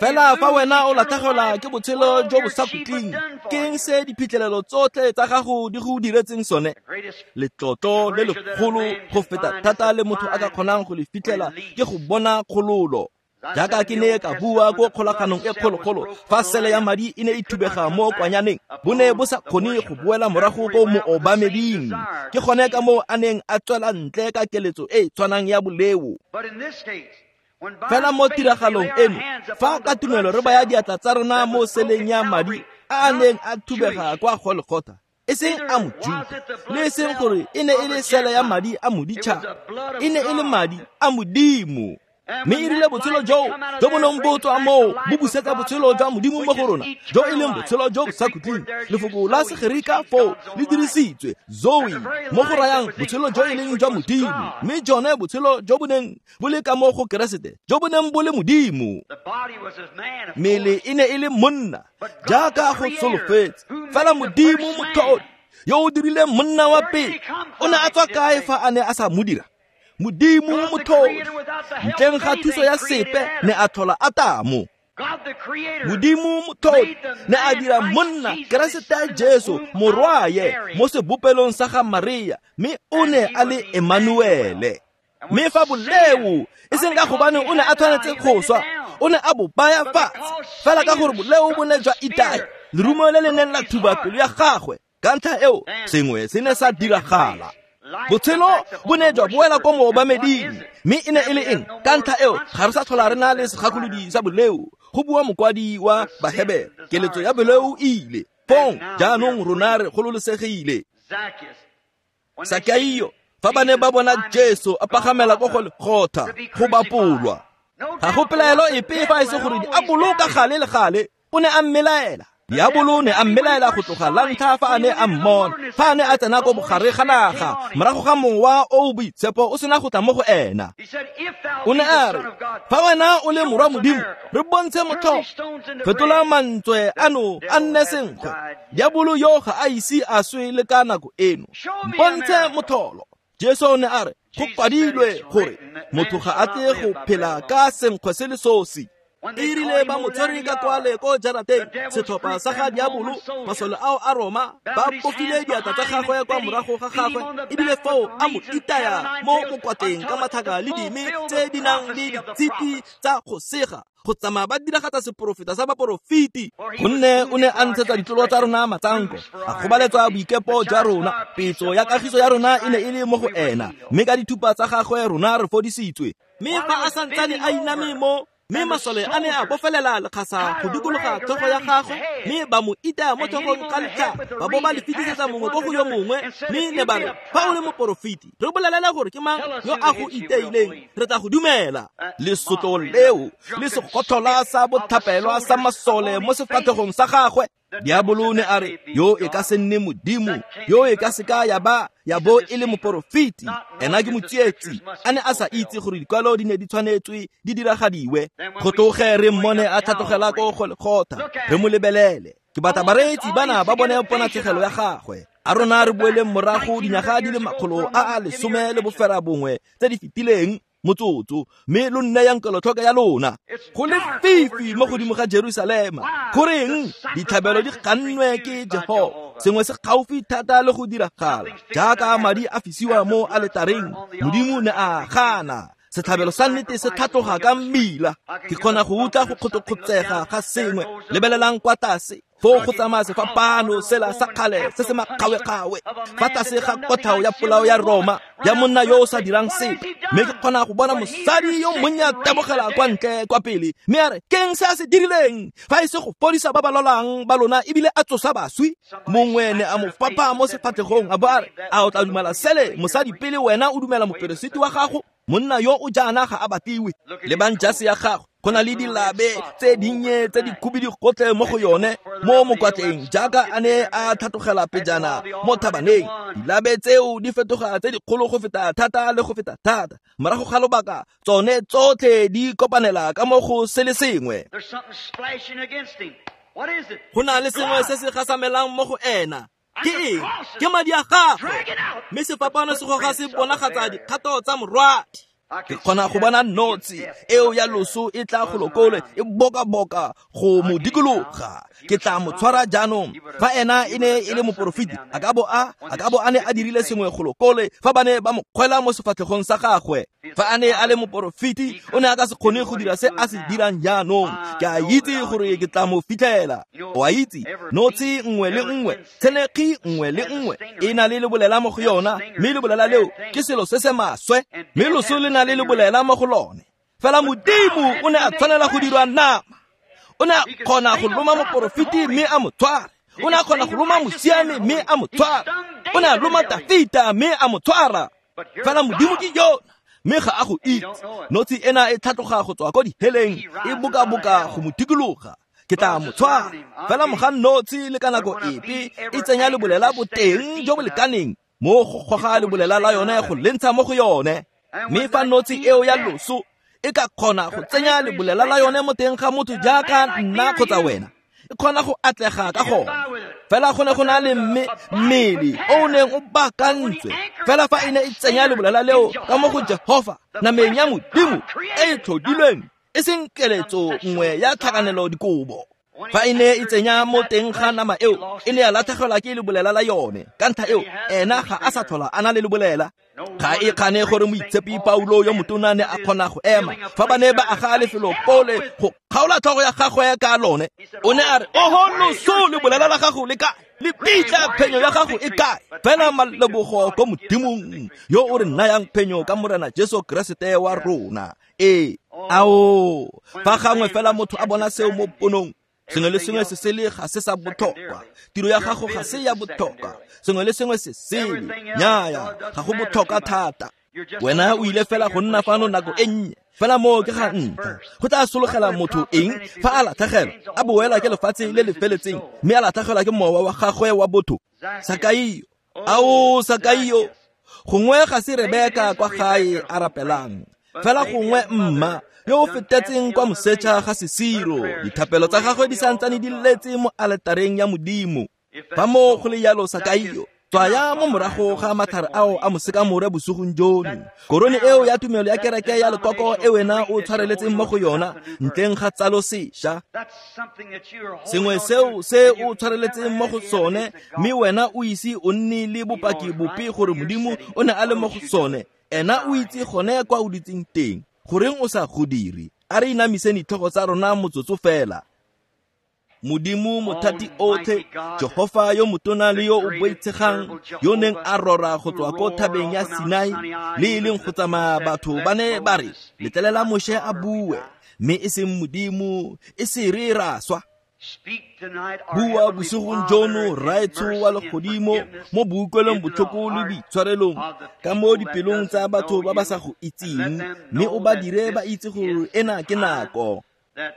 Fela fa wena o latlhegelwa ke botshelo jo bo sa khutleng, ke eng se diphitlhelelo tsotlhe tsa gago di go diretseng sone? Letlotlo le legolo go feta thata le motho a ka kgonang go le fitlhela ke go bona kgololo. Jaaka ke ne ka bua ko kgolaganong e kgologolo, fa sele ya madi e ne e thubega mo kwanyaneng, bo ne bo sa kgone go boela morago ko moobameding. Ke gone ka moo a neng a tswela ntle ka keletso e e tshwanang ya boleo. Fela mo tiragalong eno, fa ka tumelo re baya diatla tsa rona mo seleng ya madi a a neng a thubega kwa Golgotha, e seng a Mojuta, le e seng gore e ne e le sele ya madi a moditšhaba, e ne e le madi a Modimo. Mme e rile botshelo joo jo bo neng bo tswa moo bo busetsa botshelo jwa Modimo mo go rona, jo e leng botshelo jo bo sa khutleng. Lefoko la Segerika foo le dirisitswe zoe, mo go rayang botshelo jo e leng jwa Modimo, mme jone botshelo jo bo neng bo le ka mo go Keresete, jo bo neng bo le Modimo. Mmele e ne e le monna, jaaka go solofetse, fela Modimo motlhodi yo o dirileng monna wa pele, o ne a tswa kae fa a ne a sa mo dira? Modimo motlhodi, ntleng ga thuso ya sepe, ne a tlhola Atamo. Modimo motlhodi ne a dira monna Keresete Jesu morwaye mo sebopelong sa ga Maria, mme o ne a le Emmanuele. Mme fa boleo e seng ka gobane o ne a tshwanetse go swa, o ne a bo baya fatshe, fela ka gore boleo bo ne jwa itaya lerumo le le neng la thuba pelo ya gagwe. Ka ntlha eo sengwe se ne sa diragala. Botshelo bo ne jwa boela ko moobameding, mme e ne e le eng? Ka ntlha eo ga re sa tlhola re na le segakolodi sa boleo, go bua mokwadi wa Bahebere. Keletso ya boleo e ile fong, jaanong rona re gololosegile. Sakaio, fa ba ne ba bona Jesu a pagamela ko Golgotha go bapolwa, ga go pelaelo epe fa e se gore diabolo ka gale le gale o ne a mmelaela. Diabolo ne a mmelaela go tloga la ntlha fa a ne a mmona, fa a ne a tsena ko bogare ga naga, morago ga mowa o o boitshepo o sena go tla mo go ena. O ne a re, fa wena o le morwa Modimo, re bontshe motlholo, fetola mantswe ano a nne senkgwe. Diabolo yo ga a ise a swe le ka nako eno, mpontshe motlholo. Jesu o ne a re, go kwadilwe gore motho ga a tle go phela ka senkgwe se le sosi. E rile ba mo tshwere ka kwale ko jarateng, setlhopha sa ga diabolo, masole ao a Roma, ba bofile diatla tsa gagwe kwa morago ga gagwe, ebile foo a mo itaya mo mokwatleng ka mathaka le dime tse di nang le ditshipi tsa go sega, go tsamaya ba diragatsa seporofeta sa baporofeti. Gonne o ne a ntshetsa ditlolo tsa rona matsanko, a gobaletswa boikepo jwa rona, petso ya kagiso ya rona e ne e le mo go ena, mme ka dithupa tsa gagwe rona re fodisitswe. Mme fa a santsane a iname mo, mme masole a ne a bofelela lekgasa go dikologa tlhogo ya gagwe, mme ba mo itaya mo tlhogong ka letlhare, ba bo ba le fetisetsa mongwe ko go yo mongwe, mme ne ba re, fa o le moporofeti, re bolelele gore ke mang yo a go iteileng, re tla go dumela. Lesotlo leo le segotlhola sa bothapelwa sa masole mo sefatlhegong sa gagwe. Diabolo ne a re, yo e ka se nne Modimo, yo e ka se ka ya ba ya bo e le moporofeti, ena ke motsietsi. A ne a sa itse gore dikwalo di ne di tshwanetswe di diragadiwe. Go tloge re mmone a tlhatlogela ko Golgotha, re mo lebelele. Ke batla bareetsi bana ba bone ponatshegelo ya gagwe. A rona re boeleng morago dinyaga di le makgolo a a lesome le bofera bongwe tse di fetileng motsotso, mme lo nneyang kelotlhoko ya lona. Go le fifi mo godimo ga Jerusalema, goreng ditlhabelo di gannwe ke Jehofa. Sengwe se gaufi thata le go diragala, jaaka madi a fisiwa mo aletareng, Modimo ne a gana. Setlhabelo sa nnete se tlhatloga ka mmila. Ke kgona go utlwa go kgotokgotsega ga sengwe. Lebelelang kwa tlase, Foo go tsamaya sefapano sela sa kgale se se makgawekgawe fa tlase ga kotlhao ya polao ya Roma ya monna yo o sa dirang sepe. Mme ke kgona go bona mosadi yo monnye a tabogela kwa ntle kwa pele mme a re, keng se a se dirileng fa e se go fodisa ba ba lwalang ba lona ebile a tsosa baswi? Mongwe ne a mo fapha mo sefatlhegong a bo a re, a o tla dumela sele mosadi pele wena o dumela moperesiti wa gago? Monna yo o jaana ga a batiwe. Lebang jase ya gago, go na le dilabe tse dinnye tse di khubidu gotlhe mo go yone mo mokwatleng jaaka a ne a tlhatlogela pejana mo thabaneng. Dilabe tseo di fetoga tse dikgolo go feta thata le go feta thata. Morago ga lobaka tsone tsotlhe di kopanela ka mo go se le sengwe. Go na le sengwe se se gasamelang mo go ena. Ke eng? Ke madi a gagwe. Mme sefapano se goga se bonagatsa dikgato tsa morwadi. Ke kgona go bona notshi eo ya loso e tla go lokole e bokaboka go mo dikologa. Ke tla mo tshwara jaanong. Fa ena e ne e le moporofeti, a ka bo a a ka bo a ne a dirile sengwe go lokole fa ba ne ba mo kgwela mo sefatlhegong sa gagwe. Fa a ne a le moporofeti, o ne a ka se kgone go dira se a se dirang jaanong. Ke a itse gore ke tla mo fitlhela. O a itse, notshi nngwe le nngwe, tshenekgi nngwe le nngwe e na le lebolela mo go yona, mme lebolela leo ke selo se se maswe, mme loso le na le lebolela mo go lone. Fela Modimo o ne a tshwanela go dirwa nama. O ne a kgona go loma moporofeti mme a mo tshware. O ne a kgona go loma mosiami mme a mo tshwara. O ne a loma Tafita mme a mo tshwara. Fela Modimo ke yona, mme ga a go itse. Notshi ena e tlhatloga go tswa ko diheleng, e bokaboka go mo dikologa. Ke tla mo tshwara. Fela moga notshi le ka nako epe e tsenya lebolela boteng jo bo lekaneng mo go goga lebolela la yone go le ntsha mo go yone. Mme fa notshi eo ya loso e ka kgona go tsenya lebolela la yone mo teng ga motho jaaka nna kgotsa wena, e kgona go atlega ka gone. Fela go ne go na le mme mmele o o neng o baakantswe. Fela fa e ne e tsenya lebolela leo ka mo go Jehofa, nameng ya Modimo e e tlhodilweng, e seng keletso nngwe ya tlhakanelo dikobo. Fa e ne e tsenya mo teng ga nama eo, e ne ya latlhegelwa ke lebolela la yone. Ka ntlha eo, ena ga a sa tlhola a na le lebolela. Ga e kgane gore moitshepi Paulo yo motona ne a kgona go ema fa ba ne ba aga lefelo pole go kgaola tlhogo ya gagwe ka lone. O ne a re, oho loso, lebolela la gago le kae? Le pitla phenyo ya gago e kae? Fela malebogo ko Modimong yo o re nayang phenyo ka Morena Jesu Keresete wa rona. Ee, ao, fa gangwe fela motho a bona seo mo ponong, sengwe le sengwe se sele ga se sa botlhokwa. Tiro ya gago ga se ya botlhokwa. Sengwe le sengwe se sele, nnyaya, ga go botlhokwa thata. Wena o ile fela go nna fano nako e nnye. Fela moo ke ga ntlha. Go tla sologela motho eng fa a latlhegelwa, a boela ke lefatshe le le feletseng, mme a latlhegelwa ke mowa wa gagwe wa botho? Sakaio, ao Sakaio, gongwe ga se Rebeka kwa gae a rapelang, fela gongwe mma yo o fetetseng kwa moseja ga sesiro, dithapelo tsa gagwe di santsane di letse mo aletareng ya Modimo. Fa moo go le jalo, Sakaio, tswaya mo morago ga matlhare ao a mosekamore bosigong jono. Korone eo ya tumelo ya kereke ya lekoko e wena o tshwareletseng mo go yona ntleng ga tsalo sešwa, sengwe seo se o tshwareletseng mo go sone, mme wena o ise o nne le bopaki bope gore Modimo o ne a le mo go sone. Ena o itse gone kwa o dutseng teng. Goreng o sa go dire? A re inamiseng ditlhogo tsa rona motsotso fela. Modimo mothati otlhe, Jehofa yo motona le yo o boitshegang, yo neng a rora go tswa ko thabeng ya Sinai, le e leng go tsamaya batho ba ne ba re, letlelela Moshe a bue, mme e seng Modimo, e se re ra swa. Bua bosigong jono, Rraetsho wa legodimo, mo boutlwelong botlhoko le boitshwarelong, ka mo dipelong tsa batho ba ba sa go itseng, mme o ba dire ba itse gore ena ke nako.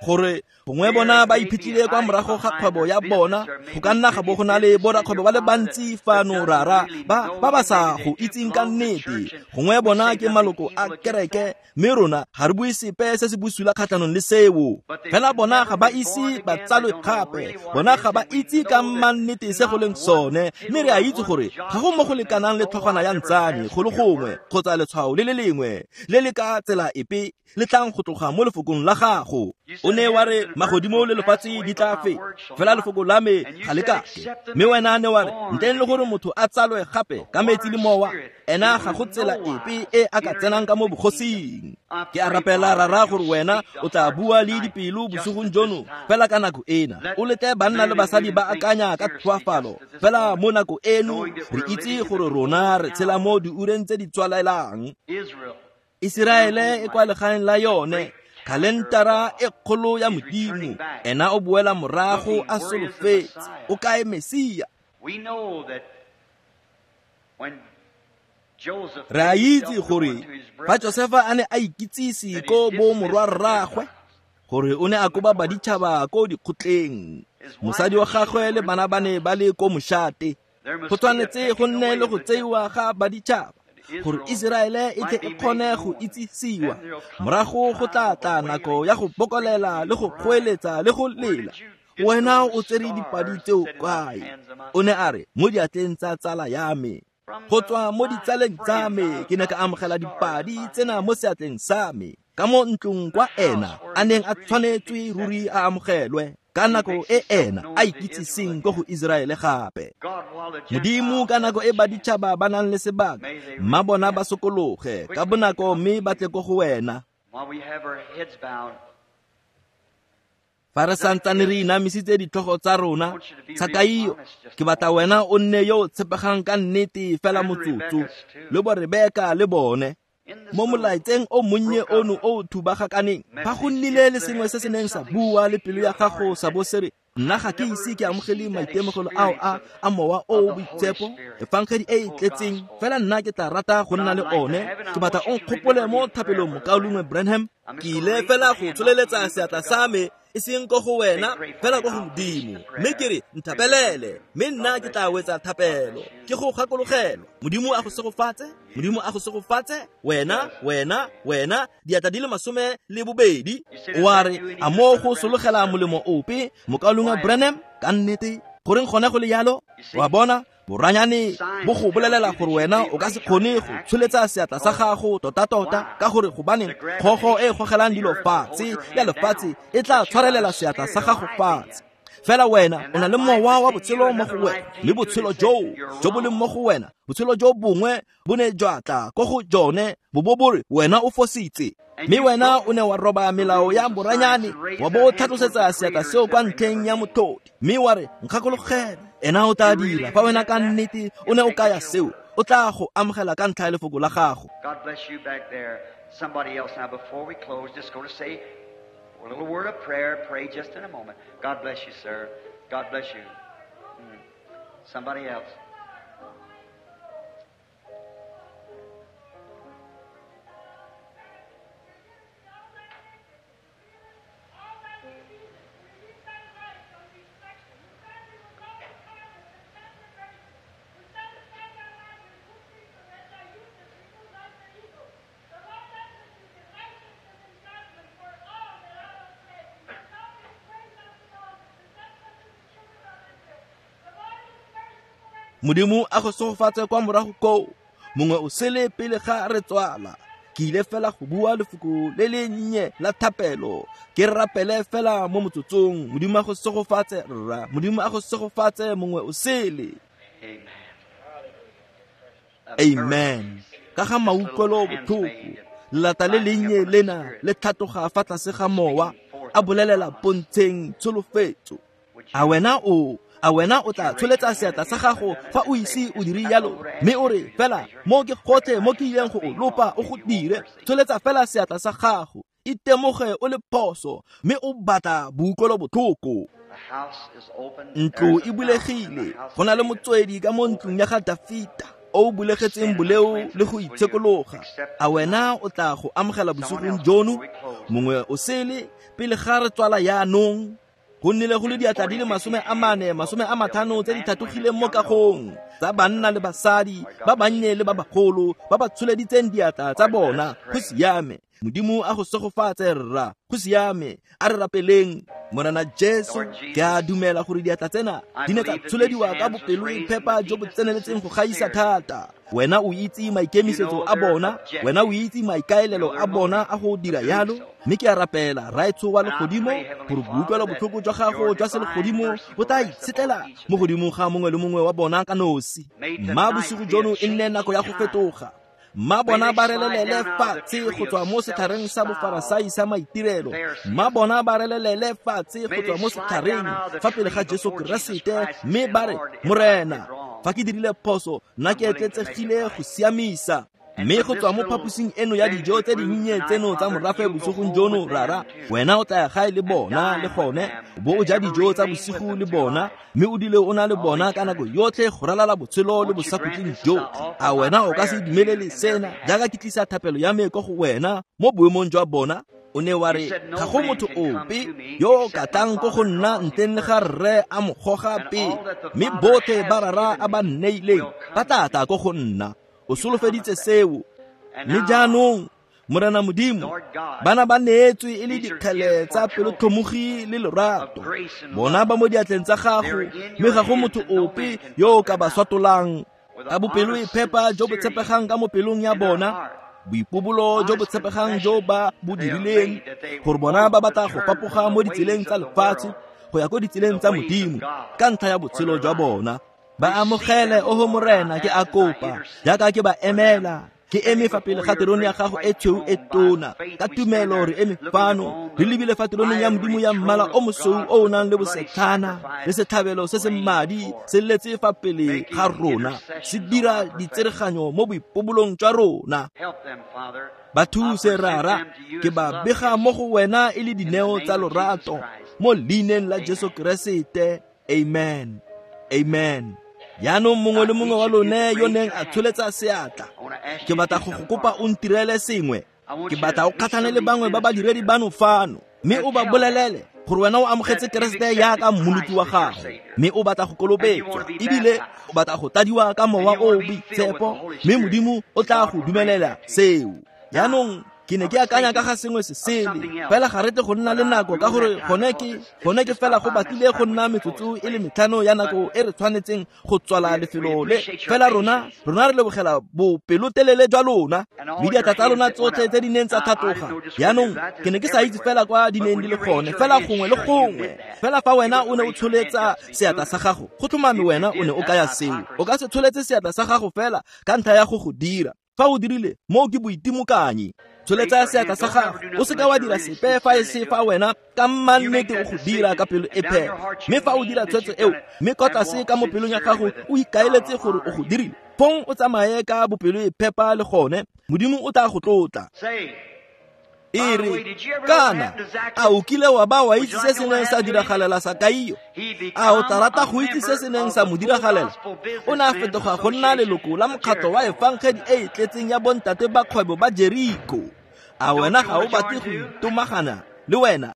Gore gongwe bona ba iphitlhile kwa morago ga kgwebo ya bona, go ka nna ga bo go na le borakgwebo ba le bantsi fano rara ba ba ba sa go itseng ka nnete. Gongwe bona ke maloko a kereke, mme rona ga re bue sepe se se bosula kgatlhanong le seo. Fela bona ga ba ise ba tsalwe gape, bona ga ba itse ka mannete se go leng sone, mme re a itse gore ga go mo go lekanang le tlhogwana ya ntsane go le gongwe kgotsa letshwao le le lengwe le le ka tsela epe le tlang go tloga mo lefokong la gago. O ne wa re magodimo le lefatshe di tla feta, fela lefoko la me ga le kake. Mme wena ne wa re ntleng le gore motho a tsalwe gape ka metsi le mowa, ena ga go tsela epe e a ka tsenang ka mo bogosing. Ke a rapela Rara gore wena o tla bua le dipelo bosigong jono fela ka nako ena. O letle banna le basadi ba akanya ka tlhoafalo fela mo nako eno, re itse gore rona re tshela mo diureng tse di tswalelang. Iseraele e kwa legaeng la yone, kalentara e kgolo ya Modimo, ena o boela morago a solofetse. O kae Mesia? Re a itse gore fa Josefa a ne a ikitsise ko bo morwarraagwe, gore o ne a koba baditšhaba ko dikgotleng, mosadi wa gagwe le bana ba ne ba le ko mošate. Go tshwanetse go nne le go tseiwa ga baditšhaba gore Iseraele e tle e kgone go itsisiwa. Morago go tla tla nako ya go bokolela le go goeletsa le go lela. Wena o tsere dipadi tseo kae? O ne a re, mo diatleng tsa tsala ya me. Go tswa mo ditsaleng tsa me ke ne ka amogela dipadi tsena mo seatleng sa me, ka mo ntlong kwa ena a neng a tshwanetswe ruri a amogelwe ka nako e ena a ikitsiseng ko go Iseraele gape. Modimo, ka nako e baditšhaba ba nang le sebaka, mma bona ba sokologe ka bonako mme ba tle ko go wena. Fa re santsane re inamisitse ditlhogo tsa rona, Sakaio, ke batla wena o nne yo o tshepegang ka nnete fela motsotso, le bo Rebeka le bone. Mo molaetseng o monnye ono o o thubagakaneng, fa go nnile le sengwe se se neng sa bua le pelo ya gago sa bo se re, nna ga ke ise ke amogele maitemogelo ao a a mowa o o boitshepo, efangedi e e tletseng, fela nna ke tla rata go nna le one. Ke batla o nkgopole mo thapelong, mokaulengwe Branham. Ke ile fela go tsholeletsa seatla sa me, e seng ko go wena, fela ko go Modimo, mme ke re nthapelele, mme nna ke tla wetsa thapelo. Ke go gakologelwa. Modimo a go segofatse, Modimo a go segofatse, wena, wena, wena, diatla di le masome le bobedi. O a re, a mo go sologela molemo ope, mokaulengwe Branham? Ka nnete, goreng gone go le yalo? Wa bona, boranyane bo go bolelela gore wena o ka se kgone go tsholetsa seatla sa gago tota-tota, ka gore gobaneng kgogo e gogelang dilo fatshe ya lefatshe e tla tshwarelela seatla sa gago fatshe. Fela wena o na le mowa wa botshelo mo go wena, mme botshelo joo jo bo leng mo go wena, botshelo jo bongwe bo ne jwa tla ko go jone bo bo bo re wena o fositse. Mme wena o ne wa roba melao ya boranyane, wa bo o tlhatlosetsa seatla seo kwa ntlheng ya motlhodi, mme wa re, nkgakologele. Ena o tla dira fa wena ka nnete o ne o kaya seo, o tla go amogela ka ntlha ya lefoko la gago. God bless you back there. Somebody else now, before we close, just go to say a little word of prayer. Pray just in a moment. God bless you, sir. God bless you. Mm. Somebody else. Modimo a go segofatse kwa morago koo, mongwe o sele pele ga re tswala. Ke ile fela go bua lefoko le le nnye la thapelo, ke rapele fela mo motsotsong. Modimo a go segofatse rra, Modimo a go segofatse mongwe o sele. Amen. Ka ga mautlwelo botlhoko, lelata le lennye lena le tlhatoga fa tlase ga mowa, a bolelela pontsheng tsholofetso. A wena o a wena o tla tsholetsa seatla sa gago fa o ise o dire yalo, mme o re fela mo ke gotlhe mo ke ileng go o lopa o go dire. Tsholetsa fela seatla sa gago, itemoge o le phoso, mme o batla boutlwelo botlhoko. Ntlo e bulegile, go na le motswedi ka mo ntlong ya ga Dafita o o bulegetseng boleo le go itshekologa. A wena o tla go amogela bosigong jono, mongwe o sele, pele ga re tswala yaanong? Go nnile go le diatla di le masome a mane, masome a matlhano tse di tlhatlogileng mo kagong, tsa banna le basadi, ba bannye le ba bagolo, ba ba tsholeditseng diatla tsa bona. Go siame. Modimo a go segofatse rra. Go siame. A re rapeleng. Morena Jesu, ke a dumela gore diatla tsena di ne tsa tsholediwa ka bopelo-phepa jo bo tseneletseng go gaisa thata. Wena o itse maikemisetso a bona, wena o itse maikaelelo a bona a go dira yalo, mme ke a rapela Rraetsho wa legodimo gore boutlwelo botlhoko jwa gago jwa selegodimo bo tla itshetlela mo godimo ga mongwe le mongwe wa bona ka nosi. Mma bosigo jono e nne nako ya go fetoga. Mma bona ba relelele fatshe go tswa mo setlhareng sa bofarasai sa maitirelo. Mma bona ba relelele fatshe go tswa mo setlhareng fa pele ga Jesu Keresete, mme ba re, Morena, fa ke dirile phoso, nna ke etletsegile go siamisa. Mme go tswa mo phaposing eno ya dijo tse dinnye tseno tsa morafe bosigong jono, Rara, wena o tla ya gae le bona le gone, o bo o ja dijo tsa bosigo le bona, mme o dule o na le bona ka nako yotlhe go ralala botshelo le bosakhutleng jotlhe. A wena o ka se dumelele sena jaaka ke tlisa thapelo ya me ko go wena mo boemong jwa bona? O ne wa re, ga go motho ope yo o ka tlang ko go nna ntleng le ga Rre a mo goga pele, mme botlhe ba Rara a ba nneileng ba tla tla ko go nna. O solofeditse seo. Mme jaanong, Morena Modimo, bana ba neetswe e le dikgele tsa pelotlhomogi le lorato. Bona ba mo diatleng tsa gago, mme ga go motho ope yo o ka ba swatolang. Ka bopelo e phepa jo bo tshepegang ka mo pelong ya bona, boipobolo jo bo tshepegang jo ba bo dirileng, gore bona ba batla go fapoga mo ditseleng tsa lefatshe go ya ko ditseleng tsa Modimo ka ntlha ya botshelo jwa bona. Ba amogele, oho Morena, ke a kopa, jaaka ke ba emela, ke eme fa pele ga terone ya gago e tshweu e tona. Ka tumelo re eme fano, re lebile fa teroneng ya Modimo ya mmala o mosweu o o nang le bosetlhana, le setlhabelo se se madi se letse fa pele ga rona, se dira ditsereganyo mo boipobolong jwa rona. Ba thuse, Rara, ke ba bega mo go wena e le dineo tsa lorato, mo leineng la Jesu Keresete. Amen. Amen. Jaanong mongwe le mongwe wa lone yo neng a tsholetsa seatla, ke batla go go kopa o ntirele sengwe. Ke batla o kgatlhane le bangwe ba badiredi bano fano, mme o ba bolelele gore wena o amogetse Keresete jaaka mmoloki wa gago, mme o batla go kolobetswa, ebile o batla go tladiwa ka mowa o o boitshepo, mme Modimo o tla go dumelela seo. Jaanong ke ne ke akanya ka ga sengwe se sele, fela ga re tle go nna le nako, ka gore gone ke gone ke fela go batlile go nna metsotso e le metlhano ya nako e re tshwanetseng go tswala lefelo le. Fela rona rona re lebogela bopelotelele jwa lona, mme diatla tsa lona tsotlhe tse di neng tsa tlhatloga. Jaanong ke ne ke sa itse fela kwa di neng di le gone, fela gongwe le gongwe. Fela fa wena o ne o tsholetsa seatla sa gago, go tlhomame wena o ne o kaya seo. O ka se tsholetse seatla sa gago fela ka ntlha ya go go dira. Fa o dirile, moo ke boitimokanyi. Tsholetsa seatla sa gago, o seka wa dira sepe fa e se fa wena ka mannete o go dira ka pelo e phepa. Mme fa o dira tshwetso eo, mme kwa tlase ka mo pelong ya gago o ikaeletse gore o go dirile, fong o tsamaye ka bopelo e phepa le gone, Modimo o tla go tlotla. E re, kana a o kile wa ba wa itse se se neng sa diragalela Sakaio? A o tla rata go itse se se neng sa mo diragalela? O ne a fetoga go nna leloko la mokgatlho wa efangedi e e tletseng ya bontate ba kgwebo ba Jeriko. A wena ga o batle go itomagana le wena?